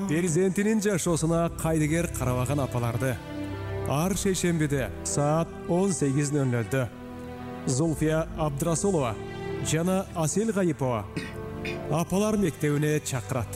Перзентинин жашоосуна кайдыгер карабаган апаларды ар шейшембиде саат 18:00 Зульфия Абдрасулова жана Асел Гайыпова апалар мектебине чакырат.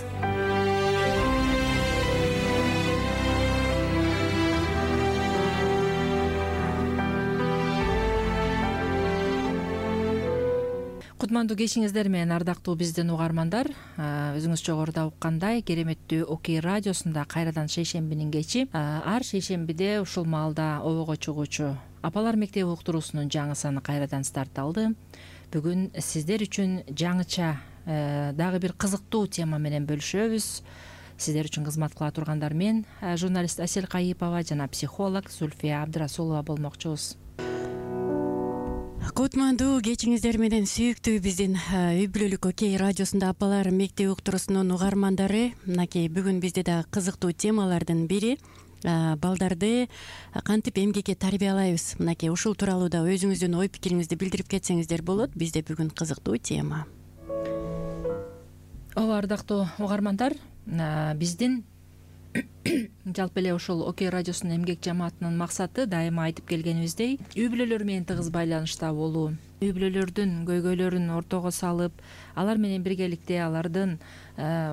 Кутмандуу кечиңиздер менен ардактуу биздин угармандар, өзүңүз жогоруда уккандай кереметтүү Окей радиосунда кайрадан шейшембинин кечи, ар шейшембиде ушул маалда обого чыгуучу апалар мектеби уктуруусунун жаңы саны кайрадан старт алды. Бүгүн сиздер үчүн жаңыча дагы бир кызыктуу тема менен бөлүшөбүз. Сиздер үчүн кызмат кыла тургандар мен, журналист Асел Гайыпова жана психолог Зульфия Абдрасулова болмокчубуз. Кутмандуу кечиңиздер менен сүйүктүү биздин үй бүлөлүк Окей радиосунда апалар мектеби уктуруусунун угармандары, мынакей бүгүн бизде дагы кызыктуу темалардын бири балдарды кантип эмгекке тарбиялайбыз. Мынакей ушул тууралуу да өзүңүздүн ой пикириңизди билдирип кетсеңиздер болот. Бизде бүгүн кызыктуу тема. Ооба, ардактуу угармандар, биздин жалпы эле ушул Окей радиосунун эмгек жамаатынын максаты дайыма айтып келгенибиздей, үй бүлөлөр менен тыгыз байланышта болуу, үй бүлөлөрдүн көйгөйлөрүн ортого салып, алар менен биргеликте алардын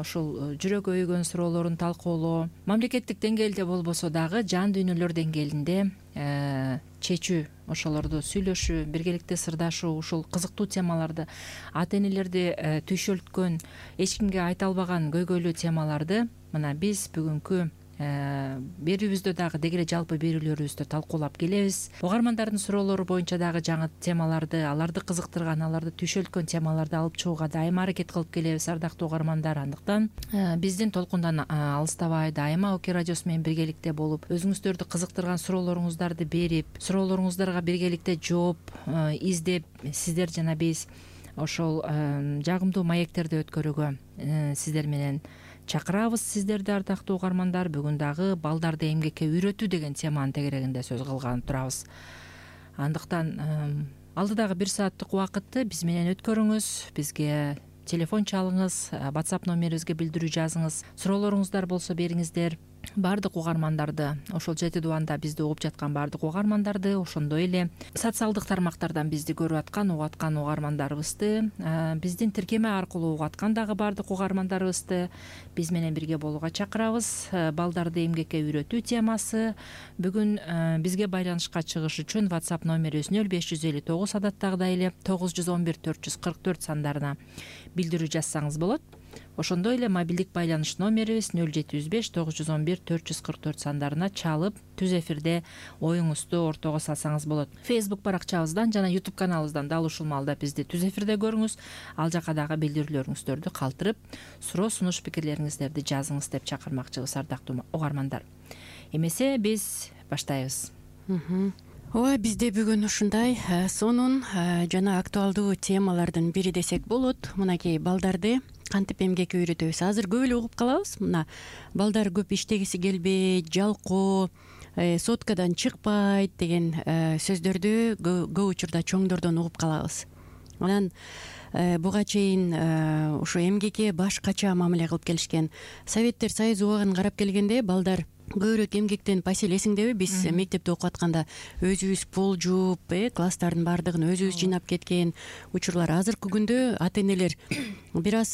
ушул жүрөк өйгөн суроолорун талкуулоо, мамлекеттик деңгээлде болбосо дагы жан дүйнөлөр деңгээлинде чечүү, ошолорду сүйлөшүү, биргеликте сырдашуу, ушул кызыктуу темаларды, ата энелерди түйшөлткөн, эч кимге айта албаган көйгөйлүү темаларды мына биз бүгүнкү берүүбүздө дагы деги эле жалпы берүүлөрүбүздө талкуулап келебиз. Угармандардын суроолору боюнча дагы жаңы темаларды, аларды кызыктырган, аларды түйшөлткөн темаларды алып чыгууга дайыма аракет кылып келебиз, ардактуу угармандар. Андыктан биздин толкундан алыстабай, дайыма Окей радиосу менен биргеликте болуп, өзүңүздөрдү кызыктырган суроолоруңуздарды берип, суроолоруңуздарга биргеликте жооп издеп, сиздер жана биз ошол жагымдуу маектерди өткөрүүгө сиздер менен чакырабыз сиздерди, ардактуу угармандар. Бүгүн дагы балдарды эмгекке үйрөтүү деген теманын тегерегинде сөз кылгалы турабыз. Андыктан алдыдагы 1 сааттык убакытты биз менен өткөрүңүз, бизге телефон чалыңыз, WhatsApp номерибизге билдирүү жазыңыз, суроолоруңуздар болсо бериңиздер. Бардык угармандарды, ошол жети дубанда бизди угуп жаткан бардык угармандарды, ошондой эле социалдык тармактардан бизди көрүп аткан, угуп аткан угармандарыбызды, биздин тиркеме аркылуу угуп аткан дагы бардык угармандарыбызды биз менен бирге болууга чакырабыз. Балдарды эмгекке үйрөтүү темасы. Бүгүн бизге байланышка чыгыш үчүн WhatsApp номерибиз 0559 адаттагыдай эле 911 444 сандарына билдирүү жазсаңыз болот. Ошондой эле мобилдик байланыш номерибиз 0705 911 444 сандарына чалып, түз эфирде оюңузду ортого салсаңыз болот. Facebook баракчабыздан жана YouTube каналыбыздан дал ушул маалда бизди түз эфирде көрүңүз. Ал жака дагы билдирүүлөрүңүздөрдү калтырып, суроо сунуш пикирлериңиздерди жазыңыз деп чакырмакчыбыз, ардактуу угармандар. Эмесе биз баштайбыз. Ооба, бизде бүгүн ушундай сонун жана актуалдуу темалардын бири десек болот. Мынакей балдарды кантип эмгекке үйрөтөбүз. Азыр көп эле угуп калабыз. Мына балдар көп иштегиси келбейт, жалкоо, соткадан чыкпайт деген сөздөрдү көп учурда чоңдордон угуп калабыз. Анан буга чейин ушу эмгекке башкача мамиле кылып келишкен. Советтер Союзу убагын карап келгенде балдар көбүрөөк эмгектен Пасель, эсиңдеби, биз мектепте окуп атканда өзүбүз пол жууп, класстардын баардыгын өзүбүз жыйнап кеткен учурлар. Азыркы күндө ата энелер бир аз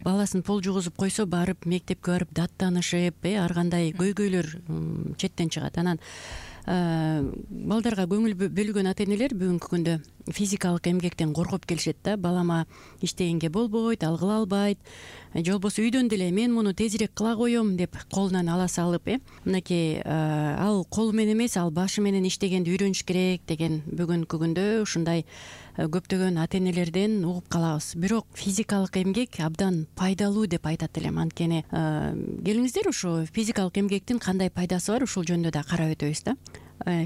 баласын пол жуугузуп койсо барып мектепке барып даттанышып, ар кандай көйгөйлөр четтен чыгат. Анан балдарга көңүл бөлгөн ата энелер бүгүнкү күндө физикалык эмгектен коркуп келишет да. Балама иштегенге болбойт, ал кыла албайт, же болбосо үйдөн деле мен муну тезирээк кыла коем деп колунан ала салып, мынакей ал колу менен эмес, ал башы менен иштегенди үйрөнүш керек деген бүгүнкү күндө ушундай көптөгөн ата энелерден угуп калабыз. Бирок физикалык эмгек абдан пайдалуу деп айтат элем. Анткени келиңиздер ушу физикалык эмгектин кандай пайдасы бар, ушул жөнүндө да карап өтөбүз да.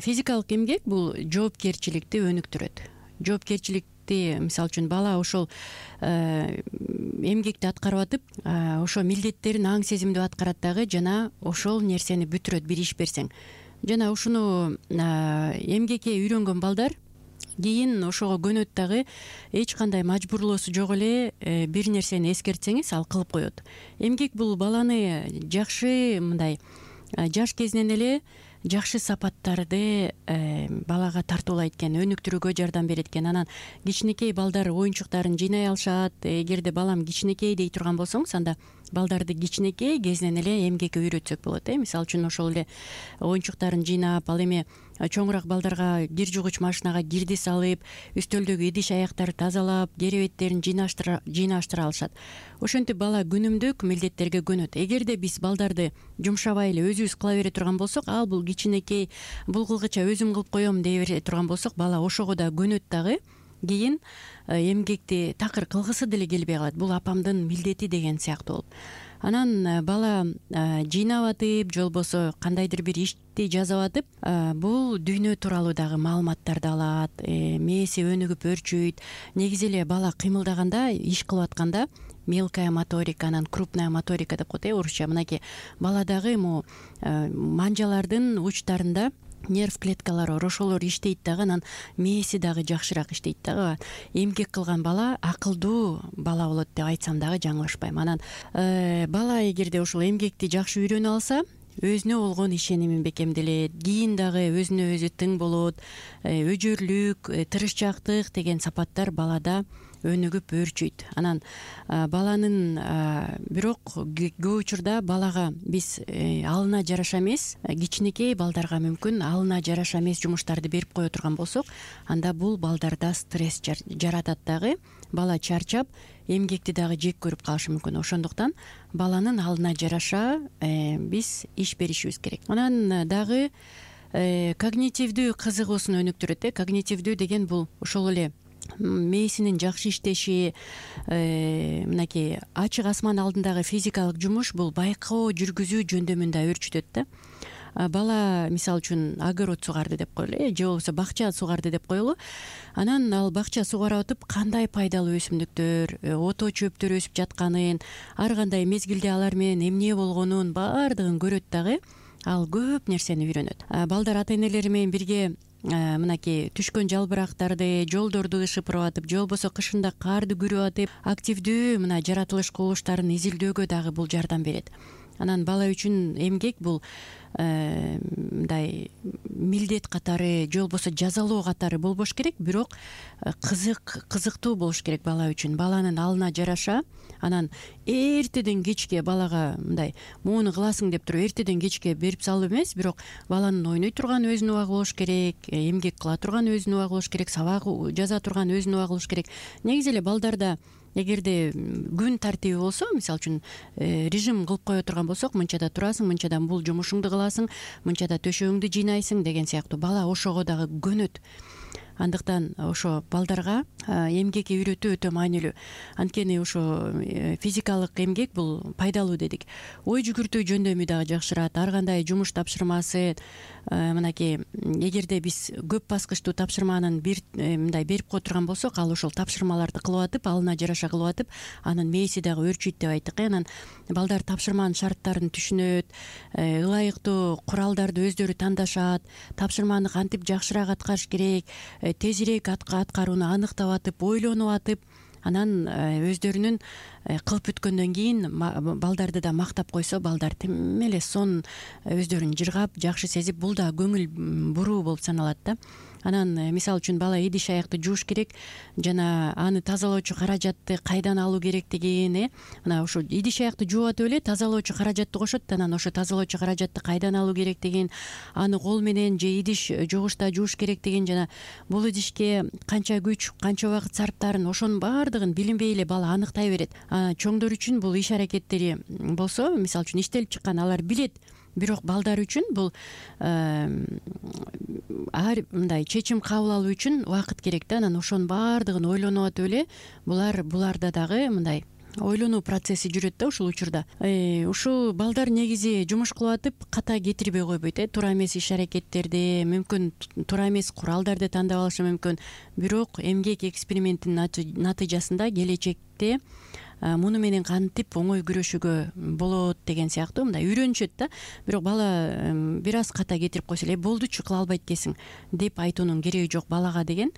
Физикалык эмгек бул жоопкерчиликти өнүктүрөт. Жоопкерчиликти, мисалы үчүн бала ошол эмгекти аткарып атып, ошо милдеттерин аң сезимдүү аткарат дагы, жана ошол нерсени бүтүрөт бир иш берсең. Жана ушуну эмгекке үйрөнгөн балдар кийин ошого көнөт дагы эч кандай мажбурлоосу жок эле бир нерсени эскертсеңиз ал кылып коет. Эмгек бул баланы жакшы мындай жаш кезинен эле жакшы сапаттарды балага тартуулайт экен, өнүктүрүүгө жардам берет экен. Анан кичинекей балдар оюнчуктарын жыйнай алышат. Эгерде балам кичинекей дей турган болсоңуз, анда балдарды кичинекей кезинен эле эмгекке үйрөтсөк болот. Мисалы үчүн ошол эле оюнчуктарын жыйнап, ал эми чоңураак балдарга кир жугуч машинага кирди салып, үстөлдөгү идиш аяктарды тазалап, керебеттерин жыйнаштыра алышат. Ошентип бала күнүмдүк милдеттерге көнөт. Эгерде биз балдарды жумшабай эле өзүбүз кыла бере турган болсок, ал бул кичинекей, бул кылгыча өзүм кылып коем дей бере турган болсок, бала ошого да көнөт дагы. Кийин эмгекти такыр кылгысы деле келбей калат. Бул апамдын милдети деген сыяктуу болуп. Анан бала жыйнап атып, же болбосо кандайдыр бир ишти жасап атып, бул дүйнө тууралуу дагы маалыматтарды алат, мээси өнүгүп өрчүйт. Негизи эле бала кыймылдаганда, иш кылып атканда мелкая моторика, анан крупная моторика деп коет орусча. Мынакей баладагы манжалардын учтарында нерв клеткалары бар, ошолор иштейт дагы, анан мээси дагы жакшыраак иштейт дагы. Эмгек кылган бала акылдуу бала болот деп айтсам дагы жаңылышпайм. Анан бала эгерде ошол эмгекти жакшы үйрөнө алса, өзүнө болгон ишеними бекемделет. Кийин дагы өзүнө өзү тың болот. Өжөрлүк, тырышчаактык деген сапаттар балада өнүгүп өрчүйт. Анан баланын бирок көп учурда балага биз алына жараша эмес, кичинекей балдарга мүмкүн алына жараша эмес жумуштарды берип кое турган болсок, анда бул балдарда стресс жаратат дагы. Бала чарчап, эмгекти дагы жек көрүп калышы мүмкүн. Ошондуктан баланын алына жараша биз иш беришибиз керек. Анан дагы когнитивдүү кызыгуусун өнүктүрөт. Когнитивдүү деген бул ошол эле мээсинин жакшы иштеши, мынакей ачык асман алдындагы физикалык жумуш, бул байкоо жүргүзүү жөндөмүн да өрчүтөт да. Бала мисалы үчүн огород сугарды деп коелу, же болбосо бакча сугарды деп коелу. Анан ал бакча сугарып атып, кандай пайдалуу өсүмдүктөр, ото чөптөр өсүп жатканын, ар кандай мезгилде алар менен эмне болгонун баардыгын көрөт дагы. Ал көп нерсени үйрөнөт. Балдар ата энелери менен бирге мынакей түшкөн жалбырактарды, жолдорду шыпырып атып, же болбосо кышында карды күрөп атып, активдүү мына жаратылыш кубулуштарын изилдөөгө дагы бул жардам берет. Анан бала үчүн эмгек бул мындай милдет катары, же болбосо жазалоо катары болбош керек, бирок кызыктуу болуш керек бала үчүн. Баланын алына жараша, анан эртеден кечке балага мындай муну кыласың деп туруп эртеден кечке берип салып эмес, бирок баланын ойной турган өзүнүн убагы болуш керек, эмгек кыла турган өзүнүн убагы болуш керек, сабак жаза турган өзүнүн убагы болуш керек. Негизи эле балдарда эгерде күн тартиби болсо, мисалы үчүн режим кылып кое турган болсок, мынчада турасың, мынчадан бул жумушуңду кыласың, мынчада төшөгүңдү жыйнайсың деген сыяктуу, бала ошого дагы көнөт. Андыктан ошо балдарга эмгекке үйрөтүү өтө маанилүү. Анткени ошо физикалык эмгек бул пайдалуу дедик. Ой жүгүртүү жөндөмү дагы жакшырат. Ар кандай жумуш тапшырмасы, мынакей эгерде биз көп баскычтуу тапшырманын мындай берип кое турган болсок, ал ошол тапшырмаларды кылып атып, алына жараша кылып атып, анын мээси дагы өрчүйт деп айттык. Анан балдар тапшырманын шарттарын түшүнөт, ылайыктуу куралдарды өздөрү тандашат, тапшырманы кантип жакшыраак аткарыш керек, тезирээк аткарууну аныктап атып, ойлонуп атып, анан өздөрүнүн кылып бүткөндөн кийин балдарды да мактап койсо, балдар тим эле сонун өздөрүн жыргап, жакшы сезип, бул да көңүл буруу болуп саналат да. Анан мисалы үчүн бала идиш аякты жууш керек, жана аны тазалоочу каражатты кайдан алуу керектигин, мына ошо идиш аякты жууп атып эле тазалоочу каражатты кошот. Анан ошо тазалоочу каражатты кайдан алуу керектигин, аны кол менен же идиш жугучта жууш керектигин, жана бул идишке канча күч, канча убакыт сарптаарын, ошонун баардыгын билинбей эле бала аныктай берет. Чоңдор үчүн бул иш аракеттери болсо, мисалы үчүн иштелип чыккан, алар билет. Бирок балдар үчүн бул мындай чечим кабыл алуу үчүн убакыт керек да. Анан ошонун баардыгын ойлонуп атып эле буларда дагы мындай ойлонуу процесси жүрөт да ушул учурда. Ушул балдар негизи жумуш кылып атып ката кетирбей койбойт. Туура эмес иш аракеттерди, мүмкүн туура эмес куралдарды тандап алышы мүмкүн. Бирок эмгек экспериментинин натыйжасында келечекте муну менен кантип оңой күрөшүүгө болот деген сыяктуу мындай үйрөнүшөт да. Бирок бала бир аз ката кетирип койсо эле болдучу, кыла албайт экенсиң деп айтуунун кереги жок балага деген.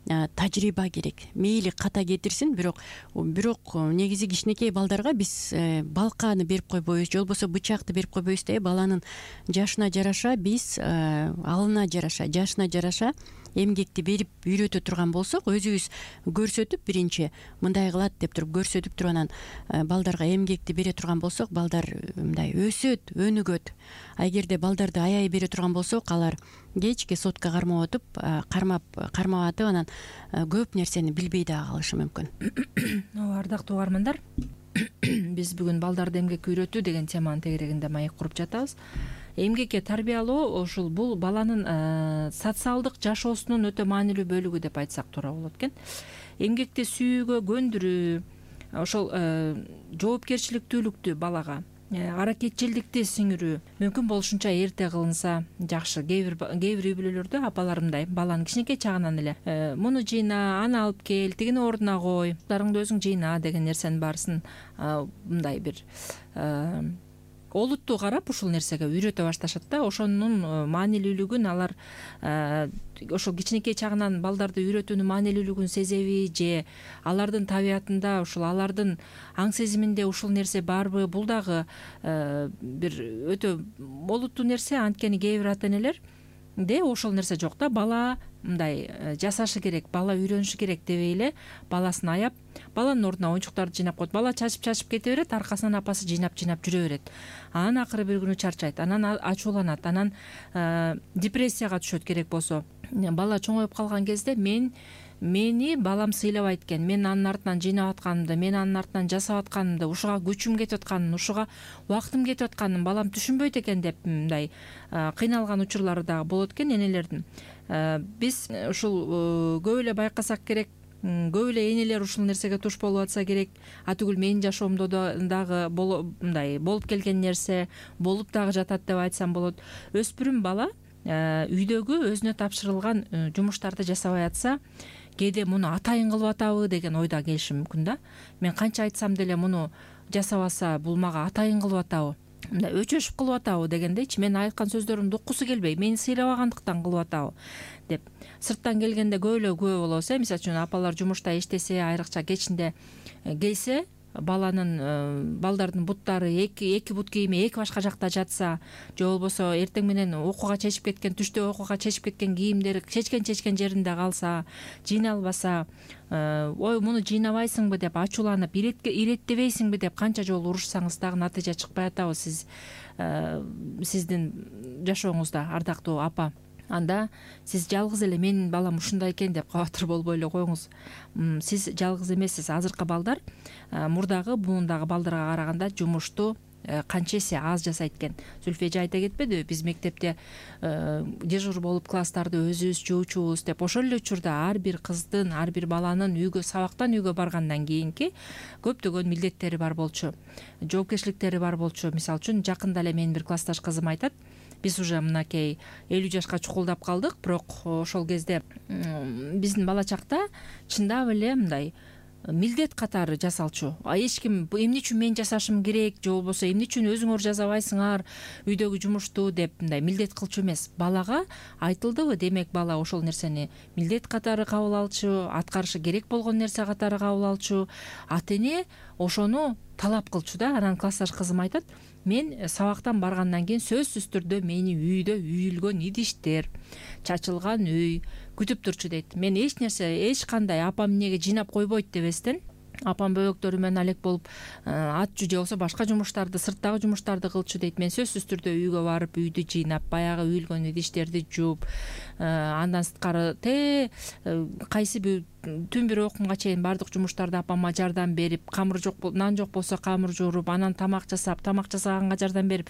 тажрыйба керек. Мейли ката кетирсин, бирок негизи кичинекей балдарга биз балкааны берип койбойбуз, же болбосо бычакты берип койбойбуз да. Баланын жашына жараша биз алына жараша, жашына жараша эмгекти берип үйрөтө турган болсок, өзүбүз көрсөтүп, биринчи мындай кылат деп туруп көрсөтүп туруп, анан балдарга эмгекти бере турган болсок, балдар мындай өсөт, өнүгөт. А эгерде балдарды аяй бере турган болсок, алар кечке сотка кармап атып, анан көп нерсени билбей дагы калышы мүмкүн. Ооба, ардактуу угармандар, биз бүгүн балдарды эмгекке үйрөтүү деген теманын тегерегинде маек куруп жатабыз. Эмгекке тарбиялоо ушул бул баланын социалдык жашоосунун өтө маанилүү бөлүгү деп айтсак туура болот экен. Эмгекти сүйүүгө көндүрүү, ошол жоопкерчиликтүүлүктү балага, аракетчилдикти сиңирүү мүмкүн болушунча эрте кылынса жакшы. Кээ бир үй бүлөлөрдө апалар мындай, баланы кичинекей чагынан эле муну жыйна, аны алып кел, тигини ордуна кой, дарыңды өзүң жыйна деген нерсенин баарысын мындай бир олуттуу карап ушул нерсеге үйрөтө башташат да. Ошонун маанилүүлүгүн алар ошол кичинекей чагынан балдарды үйрөтүүнүн маанилүүлүгүн сезеби, же алардын табиятында, ушул алардын аң сезиминде ушул нерсе барбы? Бул дагы бир өтө олуттуу нерсе. Анткени кээ бир ата энелерде ошол нерсе жок да. Бала мындай жасашы керек, бала үйрөнүшү керек дебей эле баласын аяп, баланын ордуна оюнчуктарды жыйнап коет. Бала чачып кете берет, аркасынан апасы жыйнап жүрө берет. Анан акыры бир күнү чарчайт, анан ачууланат, анан депрессияга түшөт керек болсо. Бала чоңоюп калган кезде мени балам сыйлабайт экен, мен анын артынан жыйнап атканымды, мен анын артынан жасап атканымды, ушуга күчүм кетип атканын, ушуга убактым кетип атканын балам түшүнбөйт экен деп мындай кыйналган учурлары дагы болот экен энелердин. Биз ушул көп эле байкасак керек, көп эле энелер ушул нерсеге туш болуп атса керек. Атүгүл менин жашоомдо дагы мындай болуп келген нерсе, болуп дагы жатат деп айтсам болот. Өспүрүм бала үйдөгү өзүнө тапшырылган жумуштарды жасабай атса, кээде муну атайын кылып атабы деген ойдо келиши мүмкүн да. Мен канча айтсам деле муну жасабаса бул мага атайын кылып атабы, мындай өчөшүп кылып атабы дегендейчи. Мен айткан сөздөрүмдү уккусу келбей, мени сыйлабагандыктан кылып атабы деп сырттан келгенде көп эле күбө болобуз. Мисалы үчүн апалар жумушта иштесе, айрыкча кечинде келсе, балдардын буттары эки бут кийими эки башка жакта жатса, же болбосо эртең менен окууга чечип кеткен, түштө окууга чечип кеткен кийимдери чечкен жеринде калса, жыйналбаса, ой муну жыйнабайсыңбы деп ачууланып, иреттебейсиңби деп канча жолу урушсаңыз дагы натыйжа чыкпай атабы сиздин жашооңузда, ардактуу апа. Анда сиз жалгыз эле менин балам ушундай экен деп кабатыр болбой эле коюңуз. Сиз жалгыз эмессиз. Азыркы балдар мурдагы муундагы балдарга караганда жумушту канча эсе аз жасайт экен. Зүлфия эже айта кетпедиби, биз мектепте дежур болуп класстарды өзүбүз жуучубуз деп. Ошол эле учурда ар бир кыздын, ар бир баланын сабактан үйгө баргандан кийинки көптөгөн милдеттери бар болчу, жоопкерчиликтери бар болчу. Мисалы үчүн жакында эле менин бир классташ кызым айтат, биз уже мынакей 50 жашка чукулдап калдык, бирок ошол кезде биздин бала чакта чындап эле мындай милдет катары жасалчу. Эч ким эмне үчүн мен жасашым керек, же болбосо эмне үчүн өзүңөр жасабайсыңар үйдөгү жумушту деп мындай милдет кылчу эмес. Балага айтылдыбы, демек бала ошол нерсени милдет катары кабыл алчу, аткарышы керек болгон нерсе катары кабыл алчу. Ата эне ошону талап кылчу да. Анан классташ кызым айтат, мен сабактан баргандан кийин сөзсүз түрдө мени үйдө үйүлгөн идиштер, чачылган үй күтүп турчу дейт. Мен эч кандай апам эмнеге жыйнап койбойт дебестен, апам бөбөктөрү менен алек болуп атчу же болбосо башка жумуштарды, сырттагы жумуштарды кылчу дейт. Мен сөзсүз түрдө үйгө барып үйдү жыйнап, баягы үйүлгөн идиштерди жууп, андан сырткары кайсы бир түн бир окумга чейин баардык жумуштарды апама жардам берип, нан жок болсо камыр жууруп, анан тамак жасаганга жардам берип,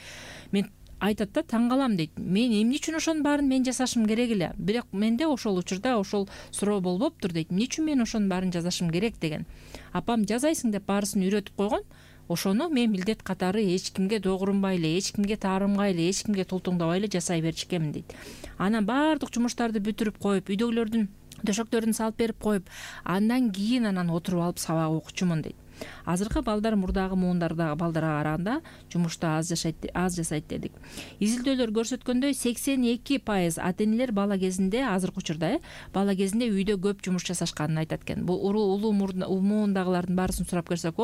мен айтат да, таң калам дейт. Мен эмне үчүн ошонун баарын мен жасашым керек эле, бирок менде ошол учурда ошол суроо болбоптур дейт. Эмне үчүн мен ошонун баарын жасашым керек деген. Апам жасайсың деп баарысын үйрөтүп койгон. Ошону мен милдет катары эч кимге догурунбай эле, эч кимге таарынбай эле, эч кимге тултуңдабай эле жасай берчүкенмин дейт. Анан баардык жумуштарды бүтүрүп коюп, үйдөгүлөрдүн төшөктөрүн салып берип коюп, андан кийин отуруп алып сабак окучумун дейт. Азыркы балдар мурдагы муундардагы балдарга караганда жумушту аз жасайт дедик. Изилдөөлөр көрсөткөндөй 82% ата энелер бала кезинде азыркы учурда бала кезинде үйдө көп жумуш жасашканын айтат экен. Бул улуу муундагылардын баарысын сурап көрсөк,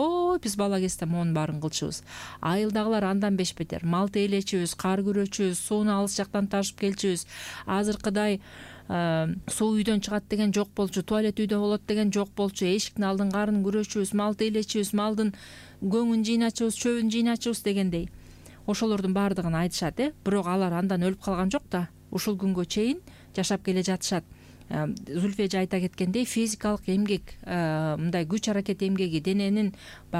биз бала кезде муунун баарын кылчубуз. Айылдагылар андан бешбетер. Мал тейлечүбүз, кар күрөчүбүз, сууну алыс жактан ташып келчүбүз. Азыркыдай суу үйдөн чыгат деген жок болчу, туалет үйдө болот деген жок болчу. Эшиктин алдын карын күрөчүбүз, мал тейлечүбүз, малдын көңүн жыйначубуз, чөбүн жыйначубуз дегендей. Ошолордун баардыгын айтышат, бирок алар андан өлүп калган жок да. Ушул күнгө чейин жашап келе жатышат. Зүлфия айта кеткендей, физикалык эмгек, мындай күч аракет эмгеги, дененин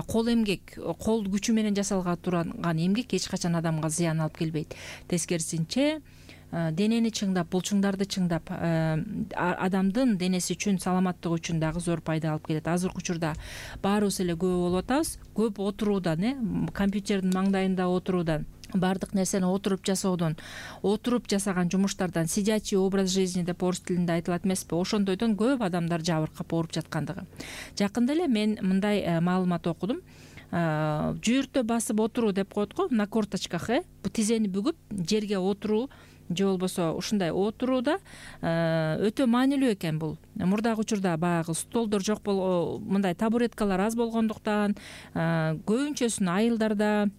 кол эмгек, кол күчү менен жасалган турган эмгек эч качан адамга зыян алып келбейт. Тескерисинче, денени чыңдап, булчуңдарды чыңдап, адамдын денеси үчүн, саламаттыгы үчүн дагы зор пайда алып келет. Азыркы учурда баарыбыз эле көп болуп атабыз, көп отуруудан, компьютердин маңдайында отуруудан, баардык нерсени отуруп жасоодон, отуруп жасаган жумуштардан, сидячий образ жизни деп орус тилинде айтылат эмеспи, ошондойдон көп адамдар жабыркап ооруп жаткандыгы. Жакында эле мен мындай маалымат окудум. Жүйүртө басып отуруу деп коет го, на корточках, тизени бүгүп жерге отуруу же болбосо ушундай отурууда өтө маанилүү экен бул. Мурдагы учурда баягы столдор жок мындай табуреткалар аз болгондуктан, көбүнчөсүн айылдарда,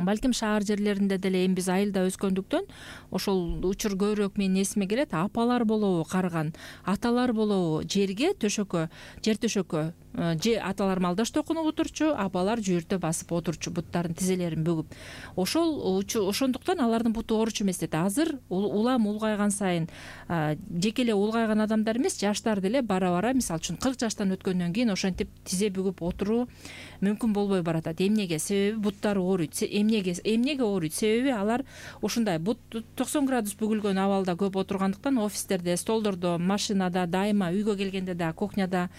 балким шаар жерлеринде деле, эми биз айылда өскөндүктөн ошол учур көбүрөөк менин эсиме келет. Апалар болобу карыган, аталар болобу жерге төшөккө, жер төшөккө же аталар малдаш токунуп отурчу, апалар жүйүртө басып отурчу, буттарын, тизелерин бүгүп. Ошондуктан алардын буту ооручу эмес дейт. Азыр улам улгайган сайын жеке эле улгайган адамдар эмес, жаштар деле бара-бара, мисалы үчүн 40 жаштан өткөндөн кийин ошентип тизе бүгүп отуруу мүмкүн болбой баратат. Эмнеге? Себеби буттары ооруйт. Эмнеге ооруйт? Себеби алар ушундай бут 90 градус бүгүлгөн абалда көп отургандыктан, офистерде, столдордо, машинада, дайыма, үйгө келгенде да, кухняда,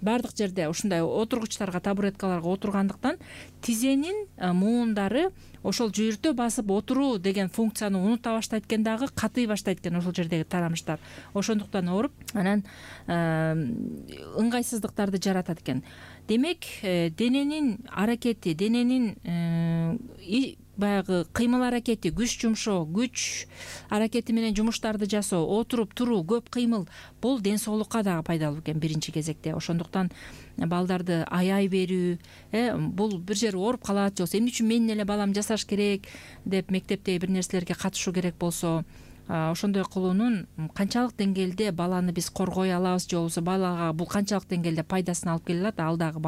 баардык жерде ушундай отургучтарга, табуреткаларга отургандыктан тизенин муундары ошол жүйүртө басып отуруу деген функцияны унута баштайт экен, дагы катый баштайт экен ошол жердеги тарамыштар. Ошондуктан ооруп, анан ыңгайсыздыктарды жаратат экен. Демек, дененин аракети, дененин баягы кыймыл аракети, күч жумшоо, күч аракети менен жумуштарды жасоо, отуруп туруу, көп кыймыл, бул ден соолукка дагы пайдалуу экен биринчи кезекте. Ошондуктан балдарды аяй берүү, бул бир жери ооруп калат, же эмне үчүн менин эле балам жасаш керек деп мектептеги бир нерселерге катышуу керек болсо, ошондой кылуунун канчалык деңгээлде баланы биз коргой алабыз, же болбосо балага бул канчалык деңгээлде пайдасын алып келе алат, ал дагы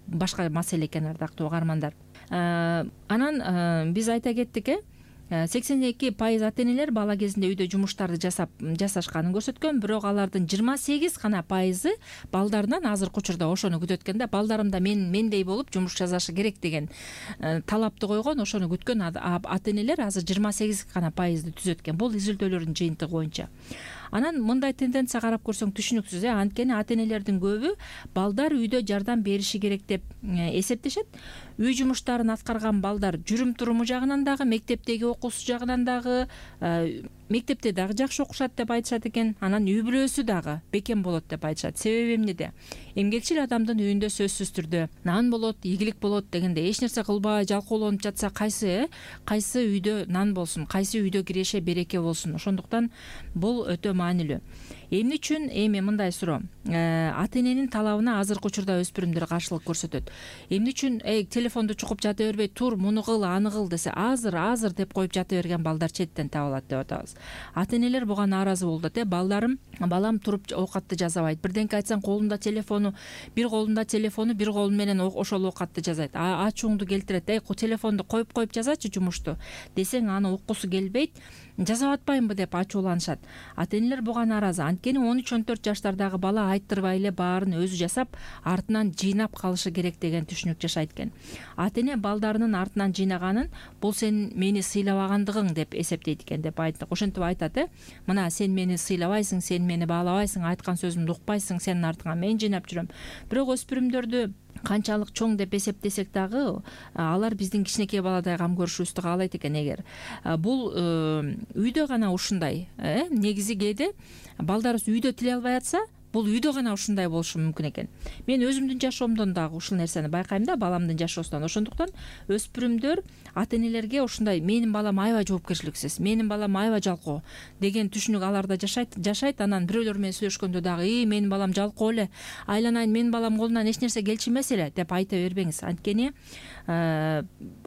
башка маселе экен, ардактуу угармандар. Анан биз айта кеттик, 82% ата энелер бала кезинде үйдө жумуштарды жасашканын көрсөткөн, бирок алардын 28 гана пайызы балдарынан азыркы учурда ошону күтөт экен да. Балдарым да мендей болуп жумуш жасашы керек деген талапты койгон, ошону күткөн ата энелер азыр 28 гана пайызды түзөт экен. Бул изилдөөлөрдүн жыйынтыгы боюнча. Анан мындай тенденция карап көрсөң түшүнүксүз, анткени ата энелердин көбү балдар үйдө жардам бериши керек деп эсептешет. Үй жумуштарын аткарган балдар жүрүм-туруму жагынан дагы, мектептеги окуусу жагынан дагы, мектепте дагы жакшы окушат деп айтышат экен. Анан үй бүлөсү дагы бекем болот деп айтышат. Себеби эмнеде? Эмгекчил адамдын үйүндө сөзсүз түрдө нан болот, ийгилик болот дегенде, эч нерсе кылбай жалкоолонуп жатса кайсы үйдө нан болсун, кайсы үйдө киреше береке болсун. Ошондуктан бул өтө маанилүү. Эмне үчүн эми мындай суроо? Ата эненин талабына азыркы учурда өспүрүмдөр каршылык көрсөтөт. Эмне үчүн телефонду чукуп жата бербей, тур, муну кыл, аны кыл десе, азыр деп коюп жата берген балдар четтен табылат деп атабыз. Ата энелер буга нааразы болуп атат. Балам туруп оокатты жасабайт. Бирденке айтсаң колунда телефону, бир колу менен ошол оокатты жасайт. Ачууңду келтирет. Телефонду коюп жасачы жумушту десең, аны уккусу келбейт. Жасап атпаймынбы деп ачууланышат. Ата энелер буга нааразы. Анткени 13-14 жаштардагы бала айттырбай эле баарын өзү жасап, артынан жыйнап калышы керек деген түшүнүк жашайт экен. Ата эне балдарынын артынан жыйнаганын бул сен мени сыйлабагандыгың деп эсептейт экен деп айттык. Ошентип айтат, мына сен мени сыйлабайсың, сен мени баалабайсың, айткан сөзүмдү укпайсың, сенин артыңан мен жыйнап жүрөм. Бирок өспүрүмдөрдү канчалык чоң деп эсептесек дагы, алар биздин кичинекей баладай кам көрүшүбүздү каалайт экен. Эгер бул үйдө гана ушундай, негизи кээде балдарыбыз үйдө тиле албай атса, бул үйдө гана ушундай болушу мүмкүн экен. Мен өзүмдүн жашоомдон дагы ушул нерсени байкайм да, баламдын жашоосунан. Ошондуктан өспүрүмдөр ата энелерге ушундай менин балам аябай жоопкерчиликсиз, менин балам аябай жалкоо деген түшүнүк аларда жашайт. Анан бирөөлөр менен сүйлөшкөндө дагы менин балам жалкоо эле, айланайын, менин балам колунан эч нерсе келчү эмес эле деп айта бербеңиз. Анткени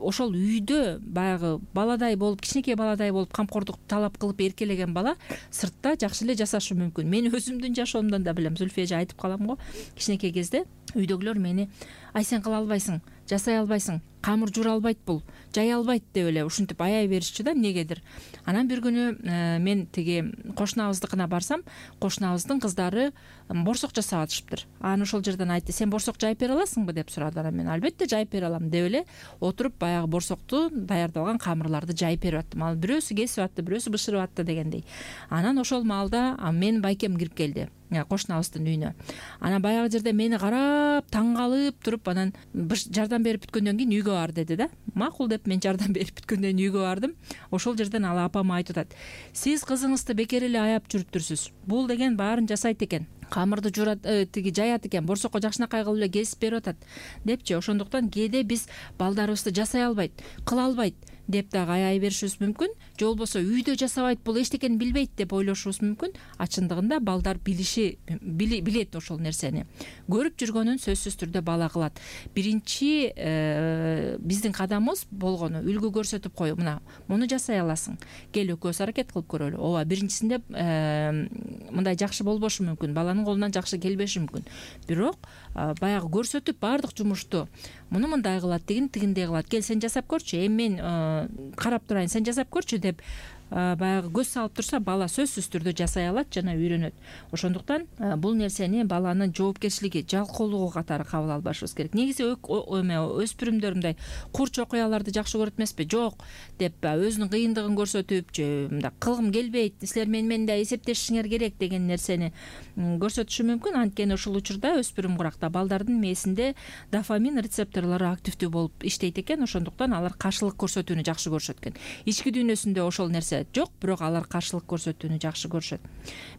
ошол үйдө баягы баладай болуп, кичинекей баладай болуп камкордук талап кылып эркелеген бала сыртта жакшы эле жашашы мүмкүн. Мен өзүмдүн жашоомдон да билем. Зүлфия эже айтып калам го, кичинекей кезде үйдөгүлөр мени ай сен кыла албайсың, жасай албайсың, камыр жуура албайт, бул жая албайт деп эле ушинтип аяй беришчү да, эмнегедир. Анан бир күнү мен тиги кошунабыздыкына барсам, кошунабыздын кыздары борсок жасап атышыптыр. Анан ошол жерден айтты, сен борсок жайып бере аласыңбы деп сурады. Анан мен албетте жайып бере алам деп эле отуруп баягы борсокту даярдап алган камырларды жайып берип аттым. Ал бирөөсү кесип атты, бирөөсү бышырып атты дегендей. Анан ошол маалда менин байкем кирип келди кошунабыздын үйүнө. Анан баягы жерде мени карап таң калып туруп, анан жардам берип бүткөндөн кийин үйгө бар деди да. Макул деп мен жардам берип бүткөндөн кийин үйгө бардым. Ошол жерден ал апама айтып атат, сиз кызыңызды бекер эле аяп жүрүптүрсүз. Бул деген баарын жасайт экен, камырды жуурат, тиги жаят экен, борсокко жакшынакай кылып эле кесип берип атат депчи. Ошондуктан кээде биз балдарыбызды жасай албайт, кыла албайт деп дагы аяй беришибиз мүмкүн. Же болбосо үйдө жасабайт, бул эчтекени билбейт деп ойлошубуз мүмкүн. Чындыгында балдар билет ошол нерсени. Көрүп жүргөнүн сөзсүз түрдө бала кылат. Биринчи биздин кадамыбыз болгону үлгү көрсөтүп коюу. Муну жасай аласың, кел экөөбүз аракет кылып көрөлү. Ооба, биринчисинде мындай жакшы болбошу мүмкүн, баланын колунан жакшы келбеши мүмкүн. Бирок баягы көрсөтүп баардык жумушту муну мындай кылат, тигиндей кылат, кел сен жасап көрчү, эми мен карап турайын, сен жасап көрчү деп баягы көз салып турса, бала сөзсүз түрдө жасай алат жана үйрөнөт. Ошондуктан бул нерсени баланын жоопкерчилиги, жалкоолугу катары кабыл албашыбыз керек. Негизи өспүрүмдөр мындай курч окуяларды жакшы көрөт эмеспи? Жок деп өзүнүн кыйындыгын көрсөтүп, же мындай кылгым келбейт, силер менен да эсептешишиңер керек деген нерсени көрсөтүшү мүмкүн. Анткени ушул учурда өспүрүм куракта балдардын мээсинде дофамин рецепторлору активдүү болуп иштейт экен. Ошондуктан алар каршылык көрсөтүүнү жакшы көрүшөт экен. Ички дүйнөсүндө ошол нерсе жок, бирок алар каршылык көрсөтүүнү жакшы көрүшөт.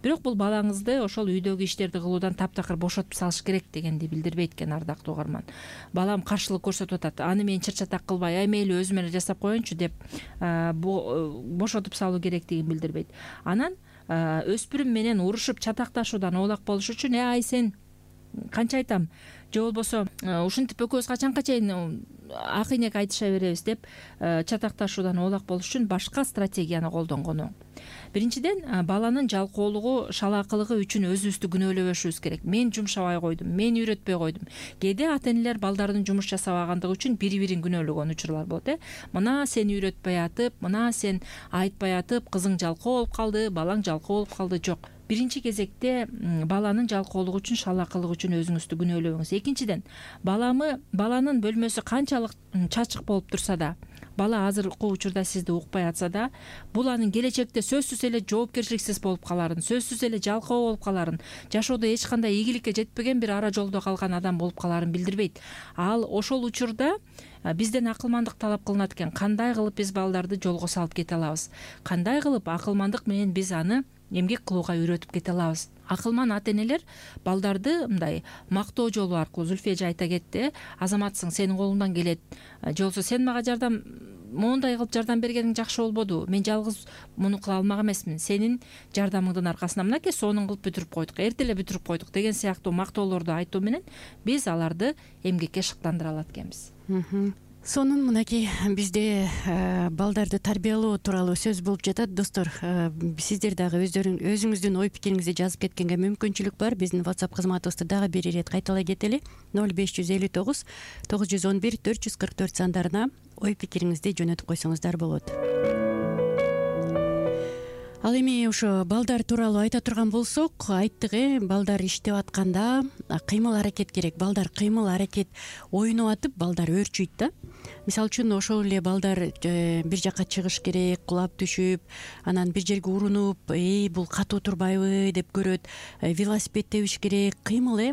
Бирок бул балаңызды ошол үйдөгү иштерди кылуудан таптакыр бошотуп салыш керек дегенди билдирбейт экен, ардактуу угарман. Балам каршылык көрсөтүп атат, аны мен чыр-чатак кылбай, мейли өзүм эле жасап коеюнчу деп бошотуп салуу керектигин билдирбейт. Анан өспүрүм менен урушуп чатакташуудан оолак болуш үчүн ай сен канча айтам, же болбосо ушинтип экөөбүз качанга чейин ак ийнек айтыша беребиз деп чатакташуудан оолак болуш үчүн башка стратегияны колдонгону. Биринчиден, баланын жалкоолугу, шалаакылыгы үчүн өзүбүздү күнөөлөбөшүбүз керек. Мен жумшабай койдум, мен үйрөтпөй койдум. Кээде ата энелер балдардын жумуш жасабагандыгы үчүн бири-бирин күнөөлөгөн учурлар болот. Мына сен үйрөтпөй атып, мына сен айтпай атып, кызың жалкоо болуп калды, балаң жалкоо болуп калды. Жок. Биринчи кезекте баланын жалкоолугу үчүн, шалаакылыгы үчүн өзүңүздү күнөөлөбөңүз. Экинчиден, баланын бөлмөсү канчалык чачык болуп турса да, бала азыркы учурда сизди укпай атса да, бул анын келечекте сөзсүз эле жоопкерчиликсиз болуп каларын, сөзсүз эле жалкоо болуп каларын, жашоодо эч кандай ийгиликке жетпеген бир ара жолдо калган адам болуп каларын билдирбейт. Ал ошол учурда бизден акылмандык талап кылынат экен. Кандай кылып биз балдарды жолго салып кете алабыз? Кандай кылып акылмандык менен биз аны эмгек кылууга үйрөтүп кете алабыз? Акылман ата энелер балдарды мындай мактоо жолу аркылуу, Зүлфия эже айта кетти, азаматсың, сенин колуңдан келет, же болбосо сен мага моундай кылып жардам бергениң жакшы болбоду, мен жалгыз муну кыла алмак эмесмин, сенин жардамыңдын аркасында мынакей сонун кылып бүтүрүп койдук, эрте эле бүтүрүп койдук деген сыяктуу мактоолорду айтуу менен биз аларды эмгекке шыктандыра алат экенбиз. Сонун мынакей бизде балдарды тарбиялоо тууралуу сөз болуп жатат. Достор, сиздер дагы өзүңүздүн ой пикириңизди жазып кеткенге мүмкүнчүлүк бар. Биздин WhatsApp кызматыбызды дагы бир ирет кайталай кетели. 0559 911 444 сандарына ой пикириңизди жөнөтүп койсоңуздар болот. Ал эми ошо балдар тууралуу айта турган болсок, айттык, балдар иштеп атканда кыймыл аракет керек. Балдар кыймыл аракет ойноп атып, балдар өөрчүйт да. Мисалы үчүн ошол эле балдар бир жака чыгыш керек, кулап түшүп, анан бир жерге урунуп, бул катуу турбайбы деп көрөт. Велосипед тебиш керек, кыймыл,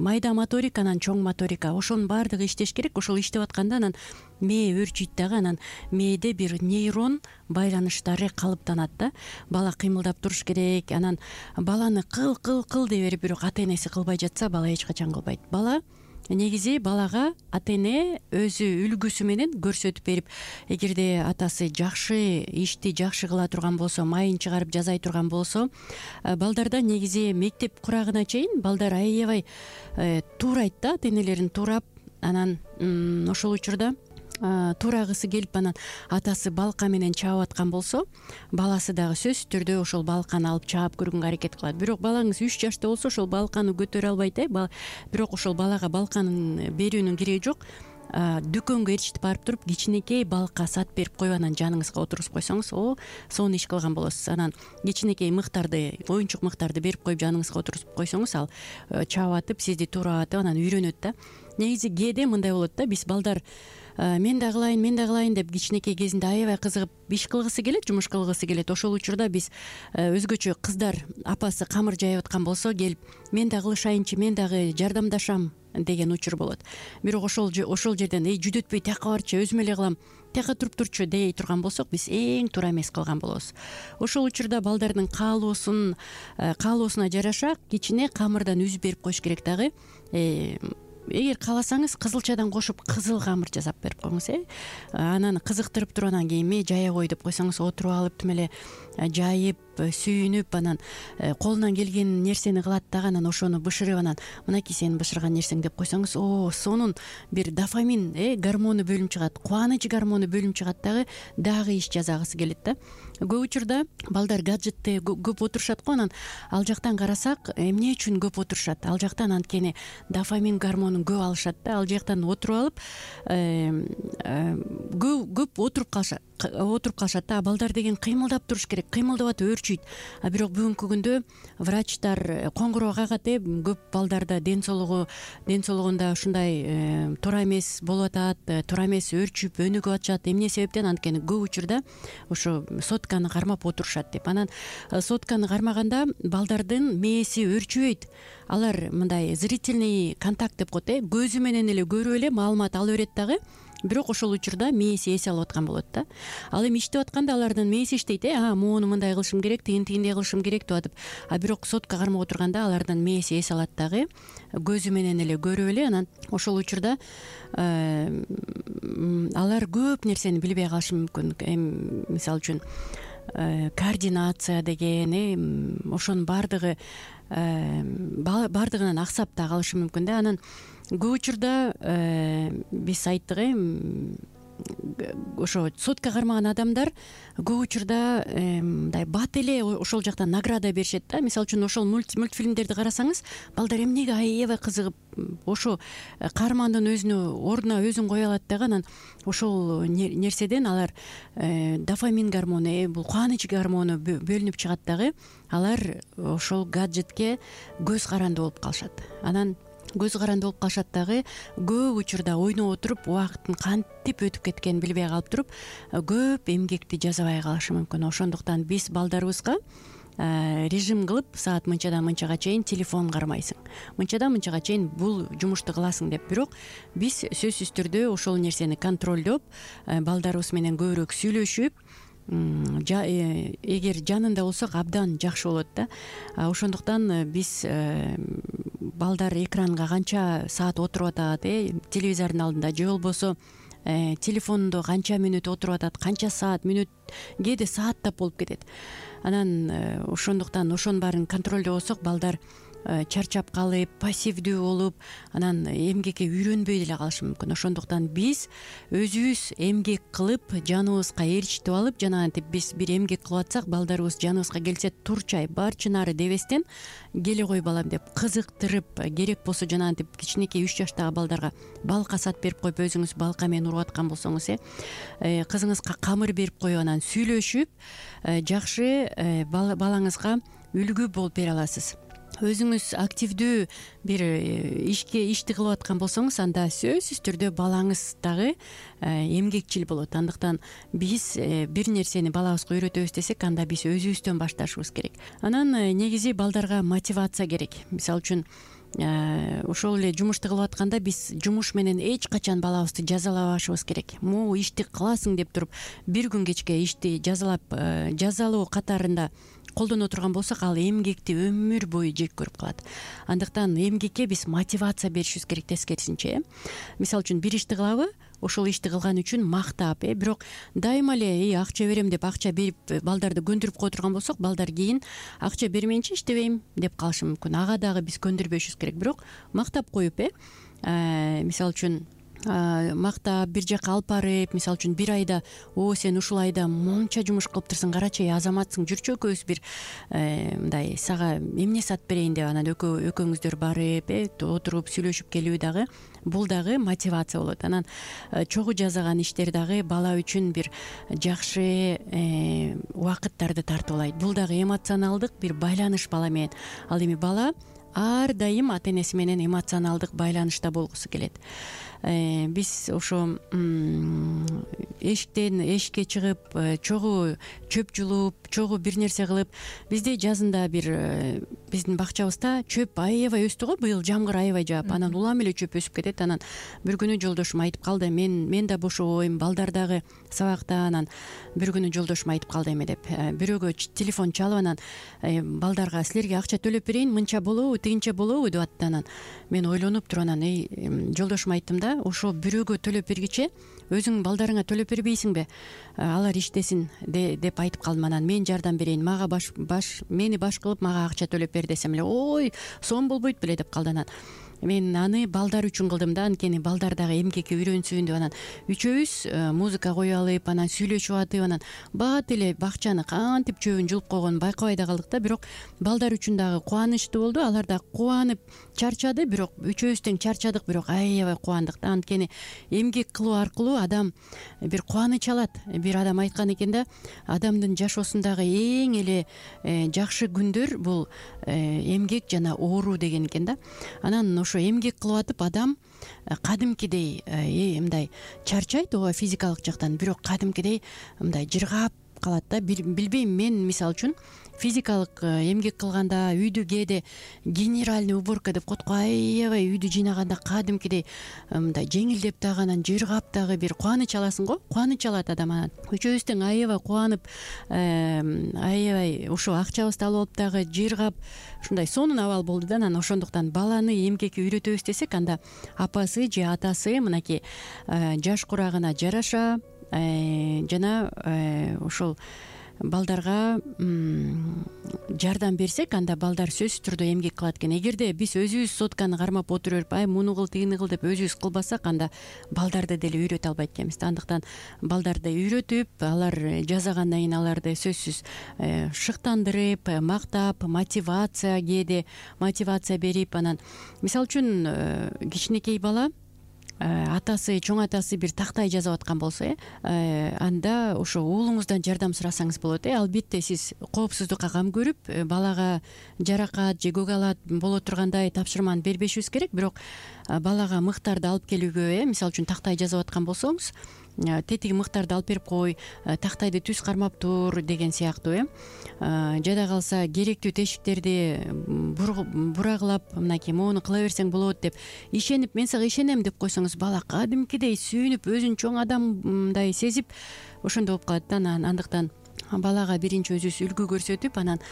майда моторика, анан чоң моторика, ошонун баардыгы иштеш керек. Ошол иштеп атканда анан мээ өөрчүйт дагы, анан мээде бир нейрон байланыштары калыптанат да. Бала кыймылдап туруш керек, анан баланы кыл дей берип, бирок ата энеси кылбай жатса бала эч качан кылбайт. Бала негизи балага ата эне өзү үлгүсү менен көрсөтүп берип, эгерде атасы жакшы ишти жакшы кыла турган болсо, майын чыгарып жазай турган болсо, балдарда негизи мектеп курагына чейин балдар аябай туурайт да, ата энелерин туурап, анан ошол учурда туурагысы келип, анан атасы балка менен чаап аткан болсо, баласы дагы сөзсүз түрдө ошол балканы алып чаап көргөнгө аракет кылат. Бирок балаңыз 3 жашта болсо ошол балканы көтөрө албайт, бирок ошол балага балканын берүүнүн кереги жок. Дүкөнгө ээрчитип барып туруп, кичинекей балка сат берип коюп, анан жаныңызга отургузуп койсоңуз, сонун иш кылган болосуз. Анан кичинекей мыктарды, оюнчук мыктарды берип коюп, жаныңызга отургузуп койсоңуз, ал чаап атып, сизди туурап атып, анан үйрөнөт да. Негизи кээде мындай болот да, биз балдар мен да кылайын деп кичинекей кезинде аябай кызыгып иш кылгысы келет, жумуш кылгысы келет. Ошол учурда биз өзгөчө кыздар, апасы камыр жайып аткан болсо, келип мен да кылышайынчы, мен дагы жардамдашам деген учур болот. Бирок ошол жерден жүдөтпөй тияка барчы, өзүм эле кылам, тияка туруп турчу дей турган болсок, биз эң туура эмес кылган болобуз. Ошол учурда балдардын каалоосуна жараша кичине камырдан үзүп берип коюш керек дагы. Эгер кааласаңыз, кызылчадан кошуп кызыл камыр жасап берип коюңуз. Анан кызыктырып туруп, анан кийин жая кой деп койсоңуз, отуруп алып тим эле жайып, сүйүнүп, анан колунан келген нерсени кылат дагы, анан ошону бышырып, анан мынакей сенин бышырган нерсең деп койсоңуз, сонун бир дофамин гормону бөлүнүп чыгат, кубаныч гормону бөлүнүп чыгат дагы иш жасагысы келет да. Көп учурда балдар гаджетте көп отурушат го, анан ал жактан карасак, эмне үчүн көп отурушат? Ал жактан анткени дофамин гормонун көп алышат да. Ал жактан отуруп алып көп отуруп калышат да. Балдар деген кыймылдап туруш керек, кыймылдап атып өөрчүйт. Бирок бүгүнкү күндө врачтар коңгуроо кагат, көп балдарда ден соолугунда ушундай туура эмес болуп атат, туура эмес өөрчүп өнүгүп атышат. Эмне себептен? Анткени көп учурда ошо сотканы кармап отурушат деп. Анан сотканы кармаганда балдардын мээси өөрчүбөйт. Алар мындай зрительный контакт деп коет, көзү менен эле көрүп эле маалымат ала берет дагы. Бирок ошол учурда мээси эс алып аткан болот да. Ал эми иштеп атканда алардын мээси иштейт, моуну мындай кылышым керек, тигиндей кылышым керек деп атып. Бирок сотка кармап отурганда алардын мээси эс алат дагы, көзү менен эле көрүп эле. Анан ошол учурда алар көп нерсени билбей калышы мүмкүн. Мисалы үчүн координация деген, ошонун бардыгынан аксап да калышы мүмкүн да. Анан көп учурда биз айттык, ошо сотка кармаган адамдар көп учурда мындай бат эле ошол жактан награда беришет да. Мисалы үчүн ошол мультфильмдерди карасаңыз, балдар эмнеге аябай кызыгып ошо каармандын ордуна өзүн кое алат дагы. Анан ошол нерседен алар дофамин гормону, бул кубаныч гормону бөлүнүп чыгат дагы. Алар ошол гаджетке көз каранды болуп калышат. Анан көз каранды болуп калышат дагы. Көп учурда ойноп отуруп, убакыттын кантип өтүп кеткенин билбей калып туруп, көп эмгекти жасабай калышы мүмкүн. Ошондуктан биз балдарыбызга режим кылып, саат мынчадан мынчага чейин телефон кармайсың, мынчадан мынчага чейин бул жумушту кыласың деп. Бирок биз сөзсүз түрдө ошол нерсени контролдоп, балдарыбыз менен көбүрөөк сүйлөшүп, эгер жанында болсок абдан жакшы болот да. Ошондуктан биз балдар экранга канча саат отуруп атат, телевизордун алдында, же болбосо телефондо канча мүнөт отуруп атат, канча саат, мүнөт, кээде сааттап болуп кетет. Анан ошондуктан ошонун баарын контролдобосок, балдар чарчап калып, пассивдүү болуп, анан эмгекке үйрөнбөй деле калышы мүмкүн. Ошондуктан биз өзүбүз эмгек кылып, жаныбызга ээрчитип алып, жанагынтип биз бир эмгек кылып атсак, балдарыбыз жаныбызга келсе, турчай барчынары дебестен келе кой балам деп кызыктырып, керек болсо жанагынтип кичинекей 3 жаштагы балдарга балка сат берип коюп, өзүңүз балка менен уруп аткан болсоңуз, кызыңызга камыр берип коюп, анан сүйлөшүп, жакшы балаңызга үлгү болуп бере аласыз. Өзүңүз активдүү бир ишти кылып аткан болсоңуз, анда сөзсүз түрдө балаңыз дагы эмгекчил болот. Андыктан биз бир нерсени балабызга үйрөтөбүз десек, анда биз өзүбүздөн башташыбыз керек. Анан негизи балдарга мотивация керек. Мисалы үчүн ошол эле жумушту кылып атканда биз жумуш менен эч качан балабызды жазалабашыбыз керек. Могу ишти кыласың деп туруп бир күн кечке ишти жазалоо катарында колдоно турган болсок, ал эмгекти өмүр бою жек көрүп калат. Андыктан эмгекке биз мотивация беришибиз керек тескерисинче. Мисалы үчүн бир ишти кылабы, ошол ишти кылган үчүн мактап, бирок дайыма эле акча берем деп акча берип балдарды көндүрүп кое турган болсок, балдар кийин акча бермейинче иштебейм деп калышы мүмкүн. Ага дагы биз көндүрбөшүбүз керек. Бирок мактап коюп, мисалы үчүн мактап бир жака алып барып, мисалы үчүн бир айда сен ушул айда монча жумуш кылыптырсың, карачы, азаматсың, жүрчү экөөбүз бир мындай сага эмне сатып берейин деп анан экөөңүздөр барып отуруп сүйлөшүп келүү дагы, бул дагы мотивация болот. Анан чогуу жасаган иштер дагы бала үчүн бир жакшы убакыттарды тартуулайт. Бул дагы эмоционалдык бир байланыш бала менен. Ал эми бала ар дайым ата энеси менен эмоционалдык байланышта болгусу келет. Биз ошо эшиктен эшикке чыгып, чогуу чөп жулуп, чогуу бир нерсе кылып, бизде жазында бир биздин бакчабызда чөп аябай өстү го, быйыл жамгыр аябай жаап, анан улам эле чөп өсүп кетет. Анан бир күнү жолдошум айтып калды, мен да бошобойм, балдар дагы сабакта. Анан бир күнү жолдошум айтып калды эме деп, бирөөгө телефон чалып, анан балдарга силерге акча төлөп берейин, мынча болобу, тигинче болобу деп атты. Анан мен ойлонуп туруп анан жолдошума айттым да, ошо бирөөгө төлөп бергиче өзүң балдарыңа төлөп бербейсиңби, алар иштесин деп айтып калдым. Анан мен жардам берейин, мага мени баш кылып мага акча төлөп бер десем эле, ой, сом болбойт беле деп калды. Анан мен аны балдар үчүн кылдым да, анткени балдар дагы эмгекке үйрөнсүн деп. Анан үчөөбүз музыка коюп алып, анан сүйлөшүп атып, анан бат эле бакчаны кантип чөбүн жулуп койгонун байкабай да калдык да. Бирок балдар үчүн дагы кубанычтуу болду, алар да кубанып чарчады, бирок үчөөбүз тең чарчадык, бирок аябай кубандык да. Анткени эмгек кылуу аркылуу адам бир кубаныч алат. Бир адам айткан экен да, адамдын жашоосундагы эң эле жакшы күндөр бул эмгек жана оору деген экен да. Анан ошо эмгек кылып атып адам кадимкидей мындай чарчайт, ооба, физикалык жактан, бирок кадимкидей мындай жыргап калат да. Билбейм, мен мисалы үчүн физикалык эмгек кылганда, үйдү кээде генеральный уборка деп коет го, аябай үйдү жыйнаганда кадимкидей мындай жеңилдеп дагы, анан жыргап дагы бир кубаныч аласың го, кубаныч алат адам. Анан үчөөбүз тең аябай кубанып, аябай ошо акчабызды алып алып дагы жыргап, ушундай сонун абал болду да. Анан ошондуктан баланы эмгекке үйрөтөбүз десек, анда апасы же атасы мынакей жаш курагына жараша жана ошол балдарга жардам берсек, анда балдар сөзсүз түрдө эмгек кылат экен. Эгерде биз өзүбүз сотканы кармап отура берип, муну кыл, тигини кыл деп өзүбүз кылбасак, анда балдарды деле үйрөтө албайт экенбиз. Андыктан балдарды үйрөтүп, алар жасагандан кийин аларды сөзсүз шыктандырып, мактап, кээде мотивация берип, анан мисалы үчүн кичинекей бала атасы, чоң атасы бир тактай жазып аткан болсо, анда ошо уулуңуздан жардам сурасаңыз болот. Албетте сиз коопсуздукка кам көрүп, балага жаракат же көк алат боло тургандай тапшырманы бербешибиз керек. Бирок балага мыктарды алып келүүгө, мисалы үчүн тактай жазып аткан болсоңуз, тетиги мыктарды алып берип кой, тактайды түз кармап тур деген сыяктуу. Жада калса керектүү тешиктерди бурагылап, мынакей моуну кыла берсең болот деп ишенип, мен сага ишенем деп койсоңуз, бала кадимкидей сүйүнүп, өзүн чоң адамдай сезип ошондой болуп калат да. Андыктан балага биринчи өзүбүз үлгү көрсөтүп, анан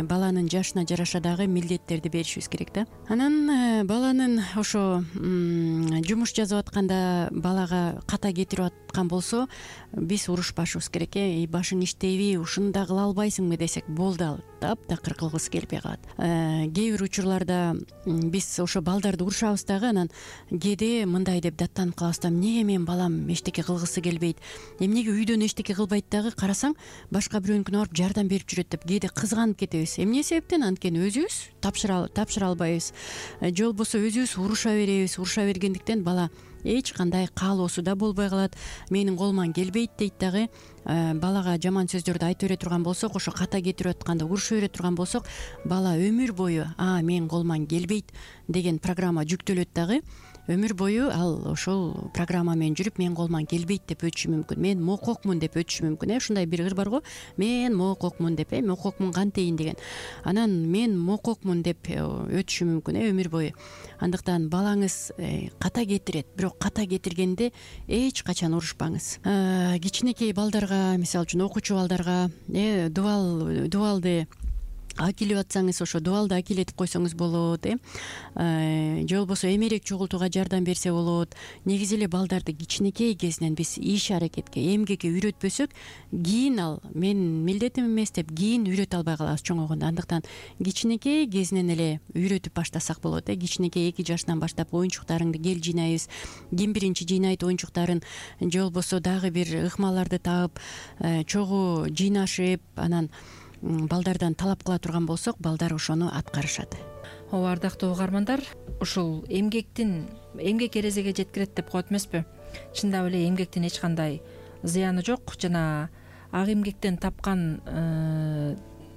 баланын жашына жараша дагы милдеттерди беришибиз керек да. Анан баланын ошо жумуш жасап атканда балага ката кетирип аткан болсо, биз урушпашыбыз керек. Башың иштейби, ушуну да кыла албайсыңбы десек, болду, ал таптакыр кылгысы келбей калат. Кээ бир учурларда биз ошо балдарды урушабыз дагы, анан кээде мындай деп даттанып калабыз да, эмнеге менин балам эчтеке кылгысы келбейт, эмнеге үйдөн эчтеке кылбайт дагы, карасаң башка бирөөнүкүнө барып жардам берип жүрөт деп кээде кызганып кетебиз. Эмне себептен? Анткени өзүбүз тапшыра албайбыз, же болбосо өзүбүз уруша беребиз. Уруша бергендиктен бала эч кандай каалоосу да болбой калат. Менин колуман келбейт дейт дагы. Балага жаман сөздөрдү айта бере турган болсок, ошо ката кетирип атканда уруша бере турган болсок, бала өмүр бою менин колуман келбейт деген программа жүктөлөт дагы. өмүр бою ал ошол программа менен жүрүп менин колуман келбейт деп өтүшү мүмкүн, мен мококмун деп өтүшү мүмкүн. Ушундай бир ыр бар го, мен мококмун деп, мококмун кантейин деген. Анан мен мококмун деп өтүшү мүмкүн өмүр бою. Андыктан балаңыз ката кетирет, бирок ката кетиргенде эч качан урушпаңыз. Кичинекей балдарга, мисалы үчүн окуучу балдарга дубалды акилип атсаңыз, ошо дубалды акилетип койсоңуз болот, же болбосо эмерек чогултууга жардам берсе болот. Негизи эле балдарды кичинекей кезинен биз иш аракетке, эмгекке үйрөтпөсөк, кийин ал менин милдетим эмес деп кийин үйрөтө албай калабыз чоңойгондо. Андыктан кичинекей кезинен эле үйрөтүп баштасак болот. Кичинекей 2 жаштан баштап оюнчуктарыңды кел жыйнайбыз, ким биринчи жыйнайт оюнчуктарын, же болбосо дагы бир ыкмаларды таап чогуу жыйнашып, анан балдардан талап кыла турган болсок, балдар ошону аткарышат. Ооба, ардактуу угармандар, ушул эмгек эрезеге жеткирет деп коет эмеспи? Чындап эле эмгектин эч кандай зыяны жок. Жана ак эмгектен тапкан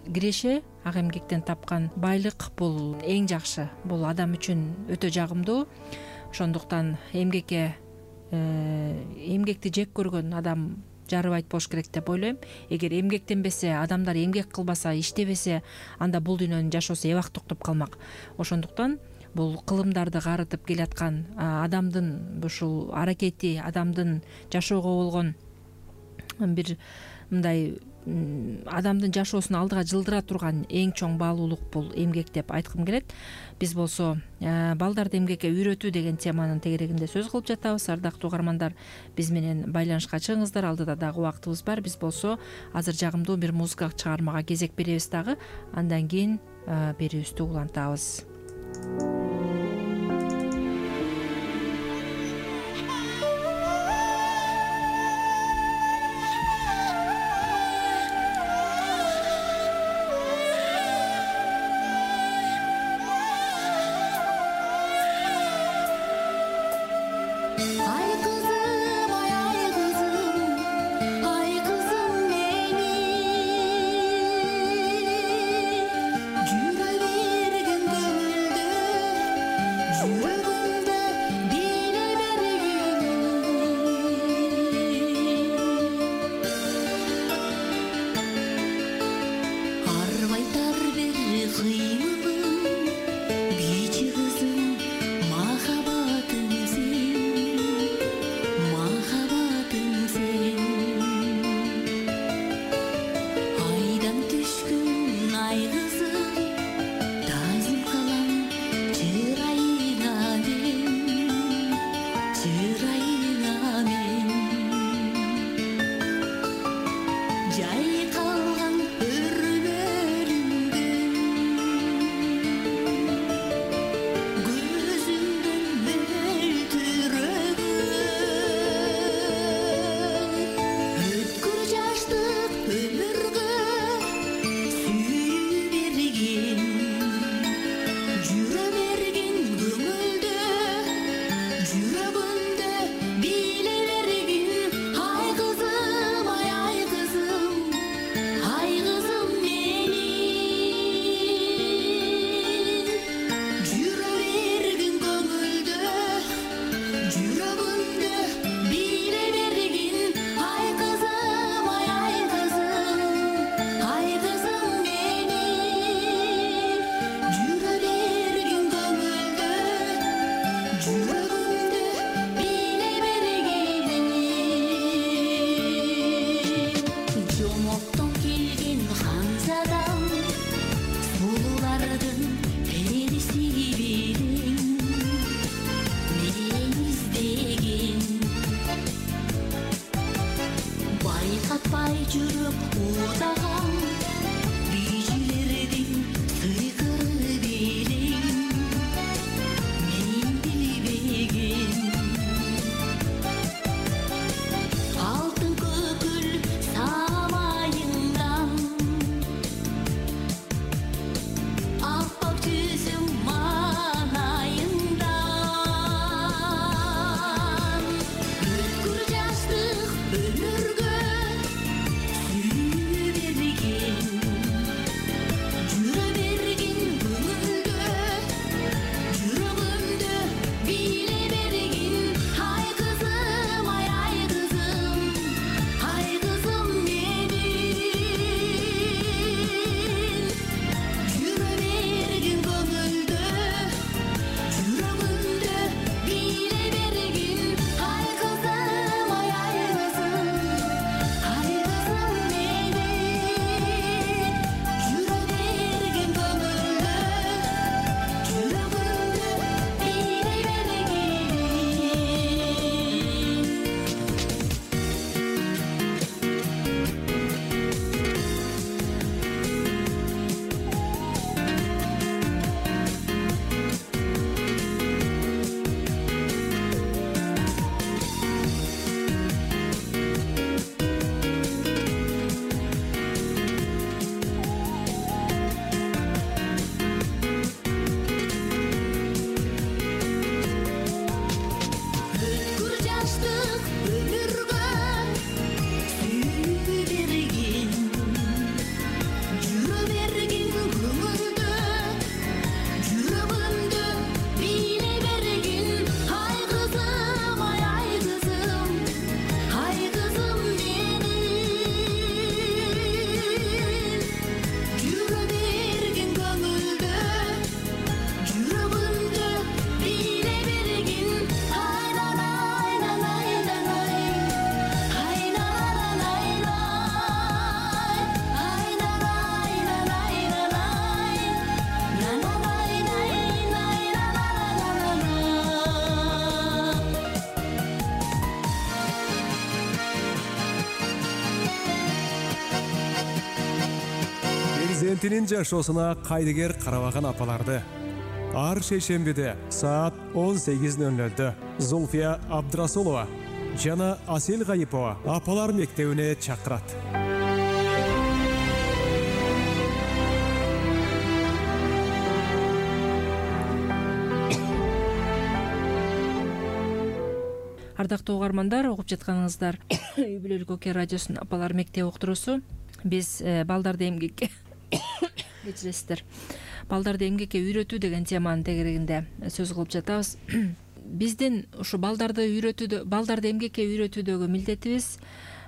киреше, ак эмгектен тапкан байлык бул эң жакшы, бул адам үчүн өтө жагымдуу. Ошондуктан эмгекти жек көргөн адам жарыбайт болуш керек деп ойлойм. Эгер эмгектенбесе, адамдар эмгек кылбаса, иштебесе, анда бул дүйнөнүн жашоосу эбак токтоп калмак. Ошондуктан бул кылымдарды карытып келаткан адамдын ушул аракети, адамдын жашоого болгон бир мындай адамдын жашоосун алдыга жылдыра турган эң чоң баалуулук бул эмгек деп айткым келет. Биз болсо балдарды эмгекке үйрөтүү деген теманын тегерегинде сөз кылып жатабыз. Ардактуу угармандар, биз менен байланышка чыгыңыздар, алдыда дагы убактыбыз бар. Биз болсо азыр жагымдуу бир музыкалык чыгармага кезек беребиз дагы, андан кийин берүүбүздү улантабыз. Ömürge Перзентинин жашоосуна кайдыгер карабаган апаларды ар шейшембиде саат 18:00 Зульфия Абдрасулова жана Асел Гайипова апалар мектебине чакырат. Ардактуу угармандар, угуп жатканыңыздар үй бүлөлүк Оке радиосунун апалар мектеби уктуруусу. Биз балдарды эмгекке кечиресиздер. Балдарды эмгекке үйрөтүү деген теманын тегерегинде сөз кылып жатабыз. Биздин ушу балдарды эмгекке үйрөтүүдөгү милдетибиз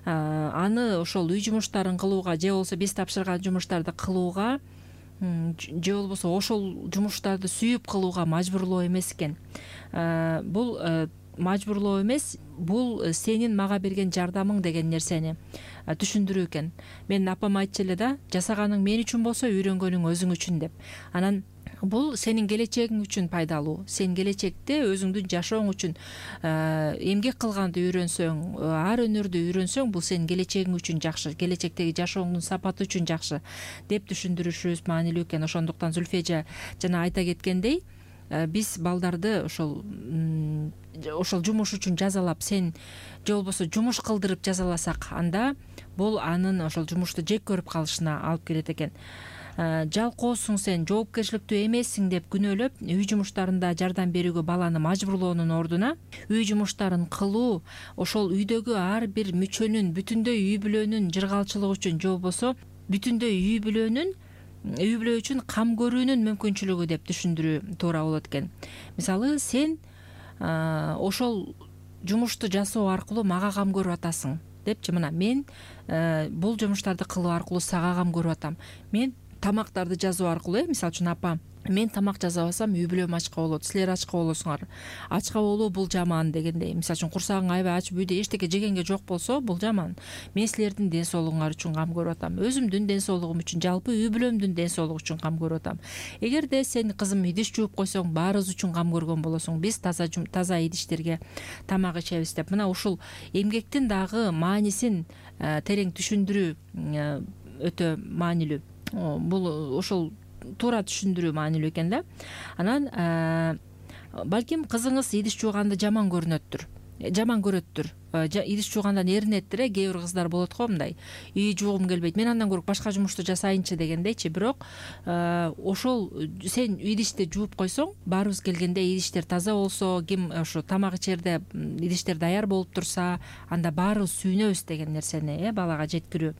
аны ошол үй жумуштарын кылууга же болбосо биз тапшырган жумуштарды кылууга же болбосо ошол жумуштарды сүйүп кылууга мажбурлоо эмес экен. Бул мажбурлоо эмес, бул сенин мага берген жардамың деген нерсени түшүндүрүү экен. Менин апам айтчу эле да, жасаганың мен үчүн болсо үйрөнгөнүң өзүң үчүн деп. Анан бул сенин келечегиң үчүн пайдалуу. Сен келечекте өзүңдүн жашооң үчүн эмгек кылганды үйрөнсөң, ар өнөрдү үйрөнсөң, бул сенин келечегиң үчүн жакшы, келечектеги жашооңдун сапаты үчүн жакшы деп түшүндүрүшүбүз маанилүү экен. Ошондуктан Зульфия жана айта кеткендей, биз балдарды ошол жумуш үчүн жазалап, сен же болбосо жумуш кылдырып жазаласак, анда бул анын ошол жумушту жек көрүп калышына алып келет экен. Жалкоосуң, сен жоопкерчиликтүү эмессиң деп күнөөлөп, үй жумуштарында жардам берүүгө баланы мажбурлоонун ордуна, үй жумуштарын кылуу ошол үйдөгү ар бир мүчөнүн, бүтүндөй үй бүлөнүн жыргалчылыгы үчүн же болбосо бүтүндөй үй бүлө үчүн кам көрүүнүн мүмкүнчүлүгү деп түшүндүрүү туура болот экен. Мисалы, сен ошол жумушту жасоо аркылуу мага кам көрүп атасың депчи, мына мен бул жумуштарды кылуу аркылуу сага кам көрүп атам. Мен тамактарды жазуу аркылуу, мисалы үчүн апа, мен тамак жасабасам үй бүлөм ачка болот, силер ачка болосуңар. Ачка болуу бул жаман дегендей. Мисалы үчүн курсагың аябай ачып үйдө эчтеке жегенге жок болсо, бул жаман. Мен силердин ден соолугуңар үчүн кам көрүп атам. Өзүмдүн ден соолугум үчүн, жалпы үй бүлөмдүн ден соолугу үчүн кам көрүп атам. Эгерде сен, кызым, идиш жууп койсоң, баарыбыз үчүн кам көргөн болосуң. Биз таза идиштерге тамак ичебиз деп. Мына ушул эмгектин дагы маанисин терең түшүндүрүү өтө маанилүү. Бул ошол туура түшүндүрүү маанилүү экен да. Анан балким кызыңыз идиш жууганды жаман көрөттүр. Идиш жуугандан эринеттир. Кээ бир кыздар болот го, мындай, үй жуугум келбейт, мен андан көрүп башка жумушту жасайынчы дегендейчи. Бирок ошол сен идишти жууп койсоң, баарыбыз келгенде идиштер таза болсо, ким ошо тамак ичерде идиштер даяр болуп турса, анда баарыбыз сүйүнөбүз деген нерсени балага жеткирүү.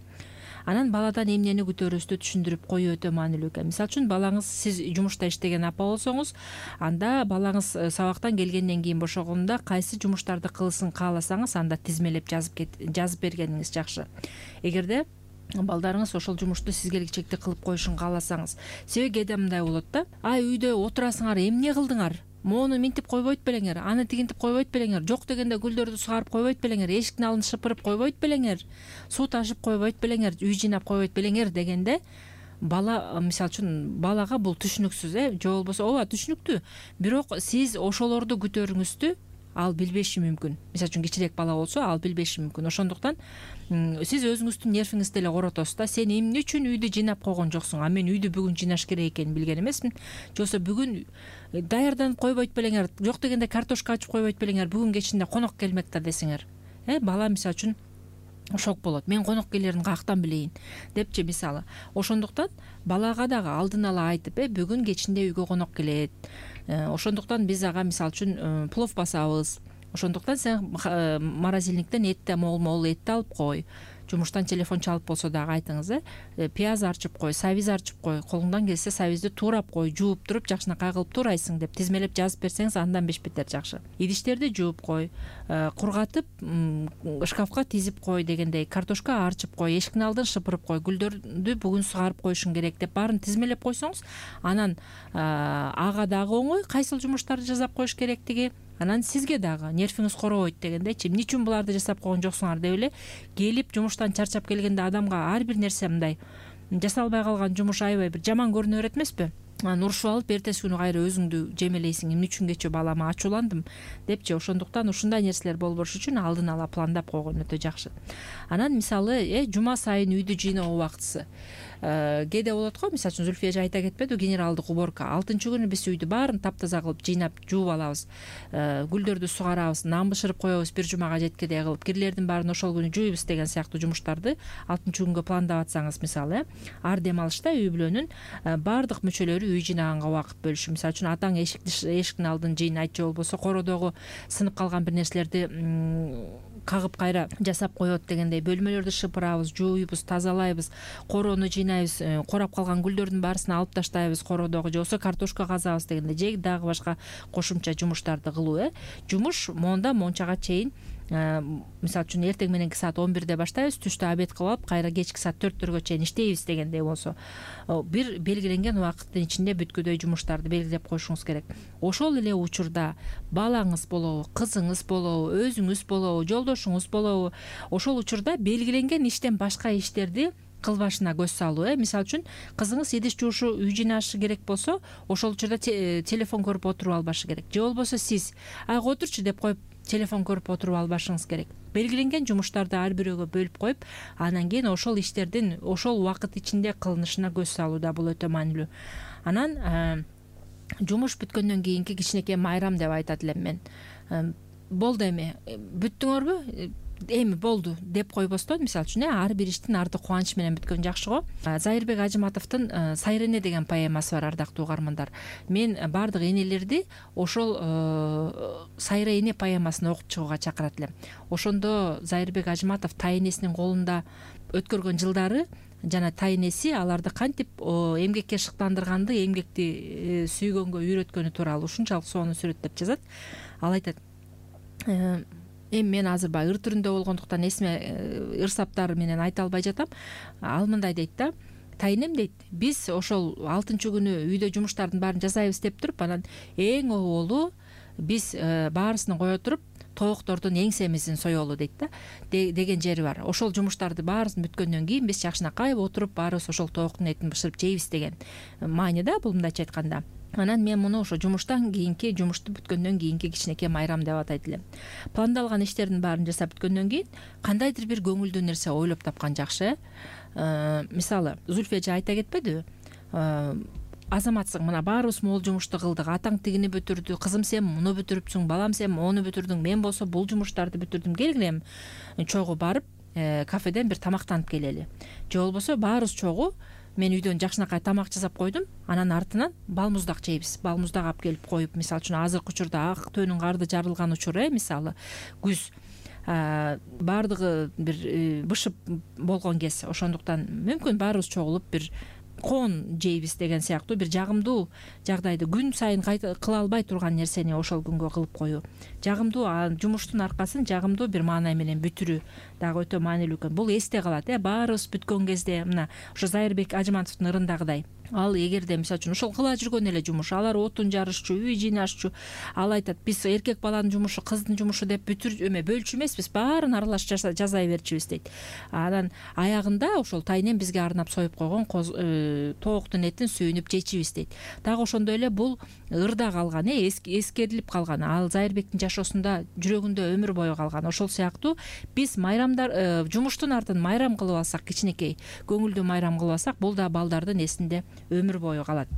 Анан баладан эмнени күтөрүбүздү түшүндүрүп коюу өтө маанилүү экен. Мисалы үчүн, балаңыз, сиз жумушта иштеген апа болсоңуз, анда балаңыз сабактан келгенден кийин бошогондо кайсы жумуштарды кылсын кааласаңыз, анда тизмелеп жазып бергениңиз жакшы. Эгерде балдарыңыз ошол жумушту сизге келечекте кылып коюшун кааласаңыз, себеби кээде мындай болот да, үйдө отурасыңар, эмне кылдыңар? Моуну минтип койбойт белеңер, аны тигинтип койбойт белеңер, жок дегенде гүлдөрдү сугарып койбойт белеңер, эшиктин алдын шыпырып койбойт белеңер, суу ташып койбойт белеңер, үй жыйнап койбойт белеңер дегенде, бала, мисалы үчүн, балага бул түшүнүксүз, же болбосо ооба түшүнүктүү, бирок сиз ошолорду күтөрүңүздү ал билбеши мүмкүн. Мисалы үчүн, кичирээк бала болсо, ал билбеши мүмкүн. Ошондуктан сиз өзүңүздүн нервиңизди эле коротосуз да. Сен эмне үчүн үйдү жыйнап койгон жоксуң? Мен үйдү бүгүн жыйнаш керек экенин билген эмесмин. Же болбосо бүгүн даярданып койбойт белеңер, жок дегенде картошка ачып койбойт белеңер, бүгүн кечинде конок келмек да десеңер. Бала, мисалы үчүн, шок болот. Мен конок келерин каяктан билейин депчи, мисалы. Ошондуктан балага дагы алдын ала айтып, бүгүн кечинде үйгө конок келет. Ошондуктан биз ага, мисалы үчүн, плов басабыз. Ошондуктан сен морозильниктен этти, мол этти алып кой. Жумуштан телефон чалып болсо дагы айтыңыз, пияз арчып кой, сабиз арчып кой, колуңдан келсе сабизди туурап кой, жууп туруп жакшынакай кылып туурайсың деп тизмелеп жазып берсеңиз, андан беш бетер жакшы. Идиштерди жууп кой, кургатып шкафка тизип кой дегендей, картошка арчып кой, эшиктин алдын шыпырып кой, гүлдөрдү бүгүн сугарып коюшуң керек деп баарын тизмелеп койсоңуз, анан ага дагы оңой кайсыл жумуштарды жасап коюш керектиги, анан сизге дагы нервиңиз коробойт дегендейчи. Эмне үчүн буларды жасап койгон жоксуңар деп эле келип жумуштан чарчап келгенде адамга ар бир нерсе мындай жасалбай калган жумуш аябай бир жаман көрүнө берет эмеспи? анан урушуп алып эртеси күнү кайра өзүңдү жемелейсиң, эмне үчүн кечээ балама ачууландым депчи. Ошондуктан ушундай нерселер болбош үчүн алдын ала пландап койгон өтө жакшы. Анан мисалы жума сайын үйдү жыйноо убактысы кээде болот го. Мисалы үчүн Зүлфия айта кетпеди, генералдык уборка. 6-күнү биз үйдү баарын таптаза кылып жыйнап жууп алабыз, гүлдөрдү сугарабыз, нан бышырып коебуз, бир жумага жеткидей кылып кирлердин баарын ошол күнү жууйбуз деген сыяктуу жумуштарды 6-күнгө пландап атсаңыз, мисалы ар дем алышта үй бүлөнүн баардык мүчөлөрү үй жыйнаганга убакыт бөлүшү. Мисалы үчүн атаң эшиктин алдын жыйнайт, же болбосо кородогу сынып калган бир нерселерди кагып кайра жасап коет дегендей, бөлмөлөрдү шыпырабыз, жууйбуз, тазалайбыз, короону жыйнайбыз, корап калган гүлдөрдүн баарысын алып таштайбыз кородогу, же болбосо картошка казабыз дегендей, же дагы башка кошумча жумуштарды кылуу. Жумуш монда мончага чейин, мисалы үчүн эртең мененки саат 11-де баштайбыз, түштө обед кылып алып кайра кечки саат 4-төргө чейин иштейбиз дегендей болсо, бир белгиленген убакыттын ичинде бүткүдөй жумуштарды белгилеп коюшуңуз керек. Ошол эле учурда балаңыз болобу, кызыңыз болобу, өзүңүз болобу, жолдошуңуз болобу, ошол учурда белгиленген иштен башка иштерди кылбашына көз салуу. Мисалы үчүн кызыңыз идиш жуушу, үй жыйнашы керек болсо, ошол учурда телефон көрүп отуруп албашы керек. Же болбосо сиз отурчу деп коюп телефон көрүп отуруп албашыңыз керек. Белгиленген жумуштарды ар бирөөгө бөлүп коюп, анан кийин ошол иштердин ошол убакыт ичинде кылынышына көз салууда бул өтө маанилүү. Анан жумуш бүткөндөн кийинки кичинекей майрам деп айтат элем мен. Болду эми, бүттүңөрбү? Эми болду деп койбостон, мисалы үчүн ар бир иштин арты кубаныч менен бүткөн жакшы го. Зайырбек Ажыматовдун Сайрене деген поэмасы бар, ардактуу угармандар. Мен баардык энелерди ошол Сайрене поэмасын окуп чыгууга чакырат элем. Ошондо Зайырбек Ажыматов тайэнесинин колунда өткөргөн жылдары жана тайэнеси аларды кантип эмгекке шыктандырганды, эмгекти сүйгөнгө үйрөткөнү тууралуу ушунчалык сонун сүрөттөп жазат. Ал айтат, эми мен азыр баягы ыр түрүндө болгондуктан эсиме ырсаптары менен айта албай жатам. Ал мындай дейт да, тайынем дейт, биз ошол 6-күнү үйдө жумуштардын баарын жасайбыз деп туруп, анан эң оболу биз баарысын кое туруп тооктордун эңсемизин соелу дейт да, деген жери бар. Ошол жумуштарды баарысын бүткөндөн кийин биз жакшынакай отуруп баарыбыз ошол тооктун этин бышырып жейбиз деген мааниде, бул мындайча айтканда. Анан мен муну ошо жумушту бүткөндөн кийинки кичинекей майрам деп атайт элем. Пландалган иштердин баарын жасап бүткөндөн кийин кандайдыр бир көңүлдүү нерсе ойлоп тапкан жакшы. Мисалы, Зүлфия айта кетпедиби? Азаматсың, мына баарыбыз могул жумушту кылдык, атаң тигини бүтүрдү, кызым сен муну бүтүрүпсүң, балам сен мону бүтүрдүң, мен болсо бул жумуштарды бүтүрдүм, келгиле чогуу барып кафеден бир тамактанып келели. Же болбосо баарыбыз чогуу мен үйдөн жакшынакай тамак жасап койдум, анан артынан балмуздак жейбиз. Балмуздак алып келип коюп, мисалы үчүн азыркы учурда ак төөнүн карды жарылган учур, мисалы күз, баардыгы бир бышып болгон кез. Ошондуктан мүмкүн баарыбыз чогулуп бир коон жейбиз деген сыяктуу бир жагымдуу жагдайды, күн сайын кыла албай турган нерсени ошол күнгө кылып коюу, жагымдуу жумуштун аркасын жагымдуу бир маанай менен бүтүрүү дагы өтө маанилүү экен. Бул эсте калат, баарыбыз бүткөн кезде, мына ошо Зайырбек Ажыматовдун ырындагыдай. Ал эгерде мисалы үчүн ошол кыла жүргөн эле жумуш, алар отун жарышчу, үй жыйнашчу, ал айтат, биз эркек баланын жумушу, кыздын жумушу деп бөлчү эмеспиз, баарын аралаш жасай берчүбүз дейт. Анан аягында ошол тайнем бизге арнап союп койгон тооктун этин сүйүнүп жечибиз дейт. Дагы ошондой эле бул ырда калган, эскерилип калган, ал Зайырбектин жашоосунда жүрөгүндө өмүр бою калган. Ошол сыяктуу биз майрамдар, жумуштун артын майрам кылып алсак, кичинекей көңүлдүү майрам кылып алсак, бул да балдардын эсинде өмүр бою калат.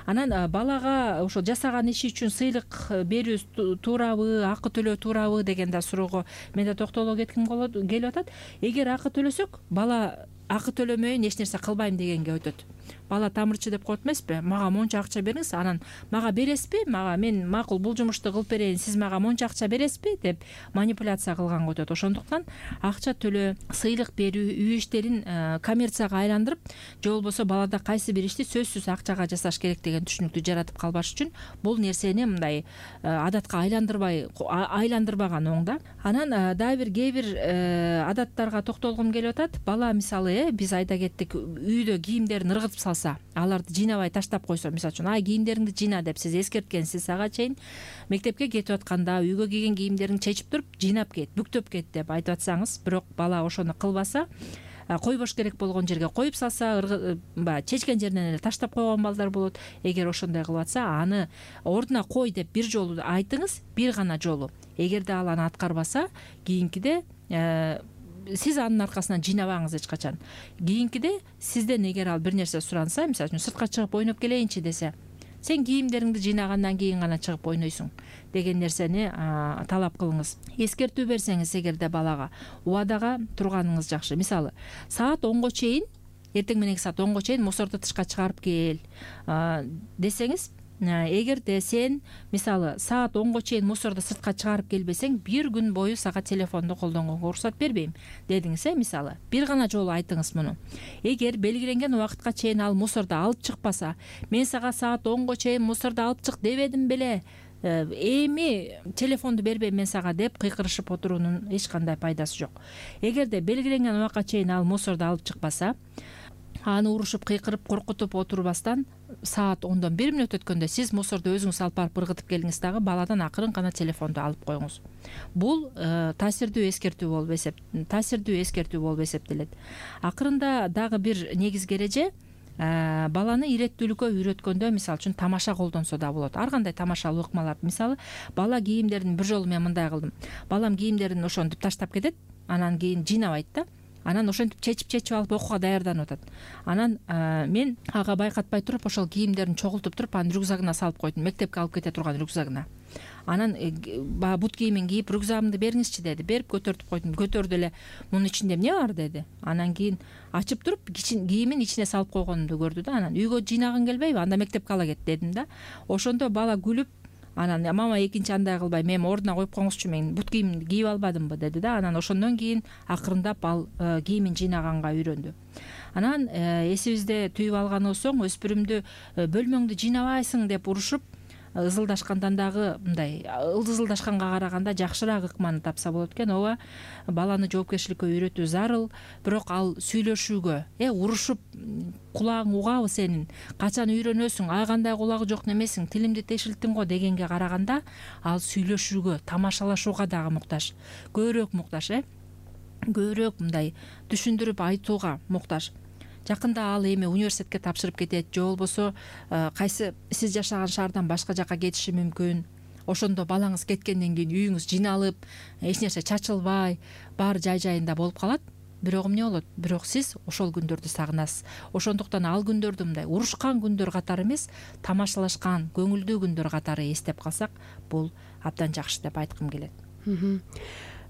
Анан балага ошо жасаган иши үчүн сыйлык берүү туурабы, акы төлөө туурабы деген да суроого мен да токтоло кетким келип атат. Эгер акы төлөсөк, бала акы төлөмөйүн, эч нерсе кылбайм дегенге өтөт. Бала тамырчы деп коет эмеспи? Мага монча акча бериңиз, анан мага бересизби? Мен макул бул жумушту кылып берейин, сиз мага монча акча бересизби деп манипуляция кылганга өтөт. Ошондуктан акча төлөө, сыйлык берүү, үй иштерин коммерцияга айландырып, же болбосо балада кайсы бир ишти сөзсүз акчага жасаш керек деген түшүнүктү жаратып калбаш үчүн бул нерсени мындай адатка айландырбаган оң да. Анан дагы бир кээ бир адаттарга токтолгум келип атат. Бала мисалы, биз айта кеттик, үйдө кийимдерин ыргытып салса, аларды жыйнабай таштап койсо, мисалы үчүн кийимдериңди жыйна деп сиз эскерткенсиз, ага чейин мектепке кетип атканда үйгө кийген кийимдериңди чечип туруп жыйнап кет, бүктөп кет деп айтып атсаңыз, бирок бала ошону кылбаса, койбош керек болгон жерге коюп салса, баягы чечкен жеринен эле таштап койгон балдар болот. Эгер ошондой кылып атса, аны ордуна кой деп бир жолу айтыңыз, бир гана жолу. Эгерде ал аны аткарбаса, кийинкиде сиз анын аркасынан жыйнабаңыз эч качан. Кийинкиде сизден эгер ал бир нерсе суранса, мисалы үчүн сыртка чыгып ойноп келейинчи десе, сен кийимдериңди жыйнагандан кийин гана чыгып ойнойсуң деген нерсени талап кылыңыз. Эскертүү берсеңиз эгерде балага, убадага турганыңыз жакшы. Мисалы, саат 10го чейин, эртең мененки саат 10го чейин мусорду тышка чыгарып кел десеңиз, эгерде сен мисалы саат 10го чейин мусорду сыртка чыгарып келбесең, бир күн бою сага телефонду колдонгонго уруксат бербейм дедиңиз. Мисалы, бир гана жолу айтыңыз муну. Эгер белгиленген убакытка чейин ал мусорду алып чыкпаса, мен сага саат 10го чейин мусорду алып чык дебедим беле, эми телефонду бербейм мен сага деп кыйкырышып отуруунун эч кандай пайдасы жок. Эгерде белгиленген убакка чейин ал мусорду алып чыкпаса, аны урушуп, кыйкырып, коркутуп отурбастан, саат 10дон 1 мүнөт өткөндө сиз мусорду өзүңүз алып барып ыргытып келиңиз, дагы баладан акырын гана телефонду алып коюңуз. Бул таасирдүү эскертүү болуп эсептелет. Акырында дагы бир негизги эреже, баланы иреттүүлүккө үйрөткөндө, мисалы үчүн тамаша колдонсо да болот. Ар кандай тамашалуу ыкмалар. Мисалы, бала кийимдерин бир жолу мен мындай кылдым. Балам кийимдерин ошентип таштап кетет, анан кийин жыйнабайт да. Анан ошентип чечип алып окууга даярданып атат. Анан мен ага байкатпай туруп, ошол кийимдерин чогултуп туруп, анын рюкзагына салып койдум, мектепке алып кете турган рюкзагына. Анан баягы бут кийимин кийип, рюкзагымды бериңизчи деди. Берип көтөртүп койдум. Көтөрдү эле. Мунун ичинде эмне бар деди. Анан кийин ачып туруп, кийимин ичине салып койгонумду көрдү да. Анан үйгө жыйнагың келбейби? Анда мектепке ала кет дедим да. Ошондо бала күлүп, анан мама экинчи андай кылбайм, эми ордуна коюп коюңузчу, мен бут кийимди кийип албадымбы деди да. Анан ошондон кийин акырындап ал кийимин жыйнаганга үйрөндү. Анан эсибизде түйүп алган болсоң, өспүрүмдү бөлмөңдү жыйнабайсың деп урушуп ызылдашкандан дагы мындай ызылдашканга караганда жакшыраак ыкманы тапса болот экен. Ооба, баланы жоопкерчиликке үйрөтүү зарыл, бирок ал сүйлөшүүгө, урушуп кулагың угабы сенин, качан үйрөнөсүң, кандай кулагы жок немесиң, тилимди тешилттиң го дегенге караганда, ал сүйлөшүүгө, тамашалашууга дагы муктаж, көбүрөөк муктаж, көбүрөөк мындай түшүндүрүп айтууга муктаж. Жакында ал эми университетке тапшырып кетет, же болбосо кайсы сиз жашаган шаардан башка жакка кетиши мүмкүн. Ошондо балаңыз кеткенден кийин үйүңүз жыйналып, эч нерсе чачылбай, баары жай-жайында болуп калат. Бирок эмне болот? Бирок сиз ошол күндөрдү сагынасыз. Ошондуктан ал күндөрдү мындай урушкан күндөр катары эмес, тамашалашкан, көңүлдүү күндөр катары эстеп калсак, бул абдан жакшы деп айткым келет.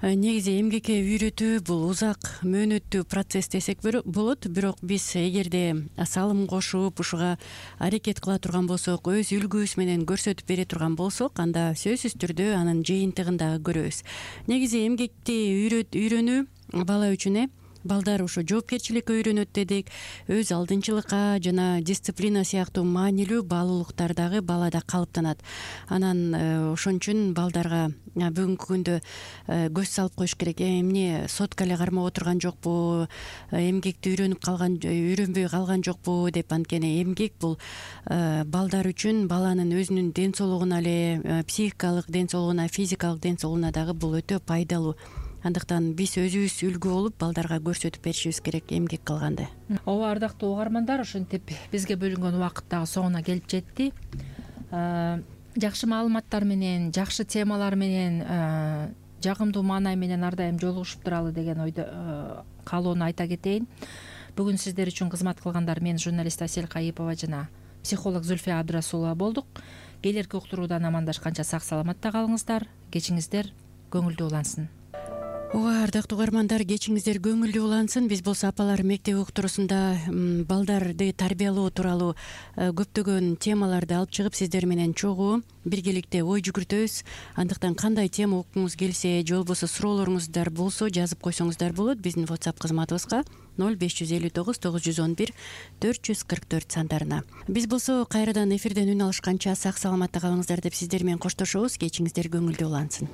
Негизи эмгекке үйрөтүү бул узак мөөнөттүү процесс десек болот, бирок биз эгерде салым кошуп, ушуга аракет кыла турган болсок, өз үлгүбүз менен көрсөтүп бере турган болсок, анда сөзсүз түрдө анын жыйынтыгын дагы көрөбүз. Негизи эмгекти үйрөнүү бала үчүн балдар ошо жоопкерчиликке үйрөнөт дедик, өз алдынчылыкка жана дисциплина сыяктуу маанилүү баалуулуктар дагы балада калыптанат. Анан ошон үчүн балдарга бүгүнкү күндө көз салып коюш керек. Эмне сотка эле кармап отурган жокпу, эмгекти үйрөнбөй калган жокпу деп. Анткени эмгек бул балдар үчүн, баланын өзүнүн ден соолугуна эле, психикалык ден соолугуна, физикалык ден соолугуна дагы бул өтө пайдалуу. Андыктан биз өзүбүз үлгү болуп, балдарга көрсөтүп беришибиз керек эмгек кылганды. Ооба, ардактуу угармандар, ошентип бизге бөлүнгөн убакыт дагы соңуна келип жетти. Жакшы маалыматтар менен, жакшы темалар менен, жагымдуу маанай менен ар дайым жолугушуп туралы деген ойдо каалоону айта кетейин. Бүгүн сиздер үчүн кызмат кылгандар мен журналист Асель Кайыпова жана психолог Зульфия Абдрасулова болдук. Келерки уктуруудан амандашканча сак саламатта калыңыздар. Кечиңиздер көңүлдүү улансын. Ооба, ардактуу угармандар, кечиңиздер көңүлдүү улансын. Биз болсо апалар мектеби уктуруусунда балдарды тарбиялоо тууралуу көптөгөн темаларды алып чыгып, сиздер менен чогуу биргеликте ой жүгүртөбүз. Андыктан кандай тема уккуңуз келсе, же болбосо суроолоруңуздар болсо, жазып койсоңуздар болот биздин WhatsApp кызматыбызга 0559 911 444 сандарына. Биз болсо кайрадан эфирден үн алышканча сак саламатта калыңыздар деп сиздер менен коштошобуз. Кечиңиздер көңүлдүү улансын.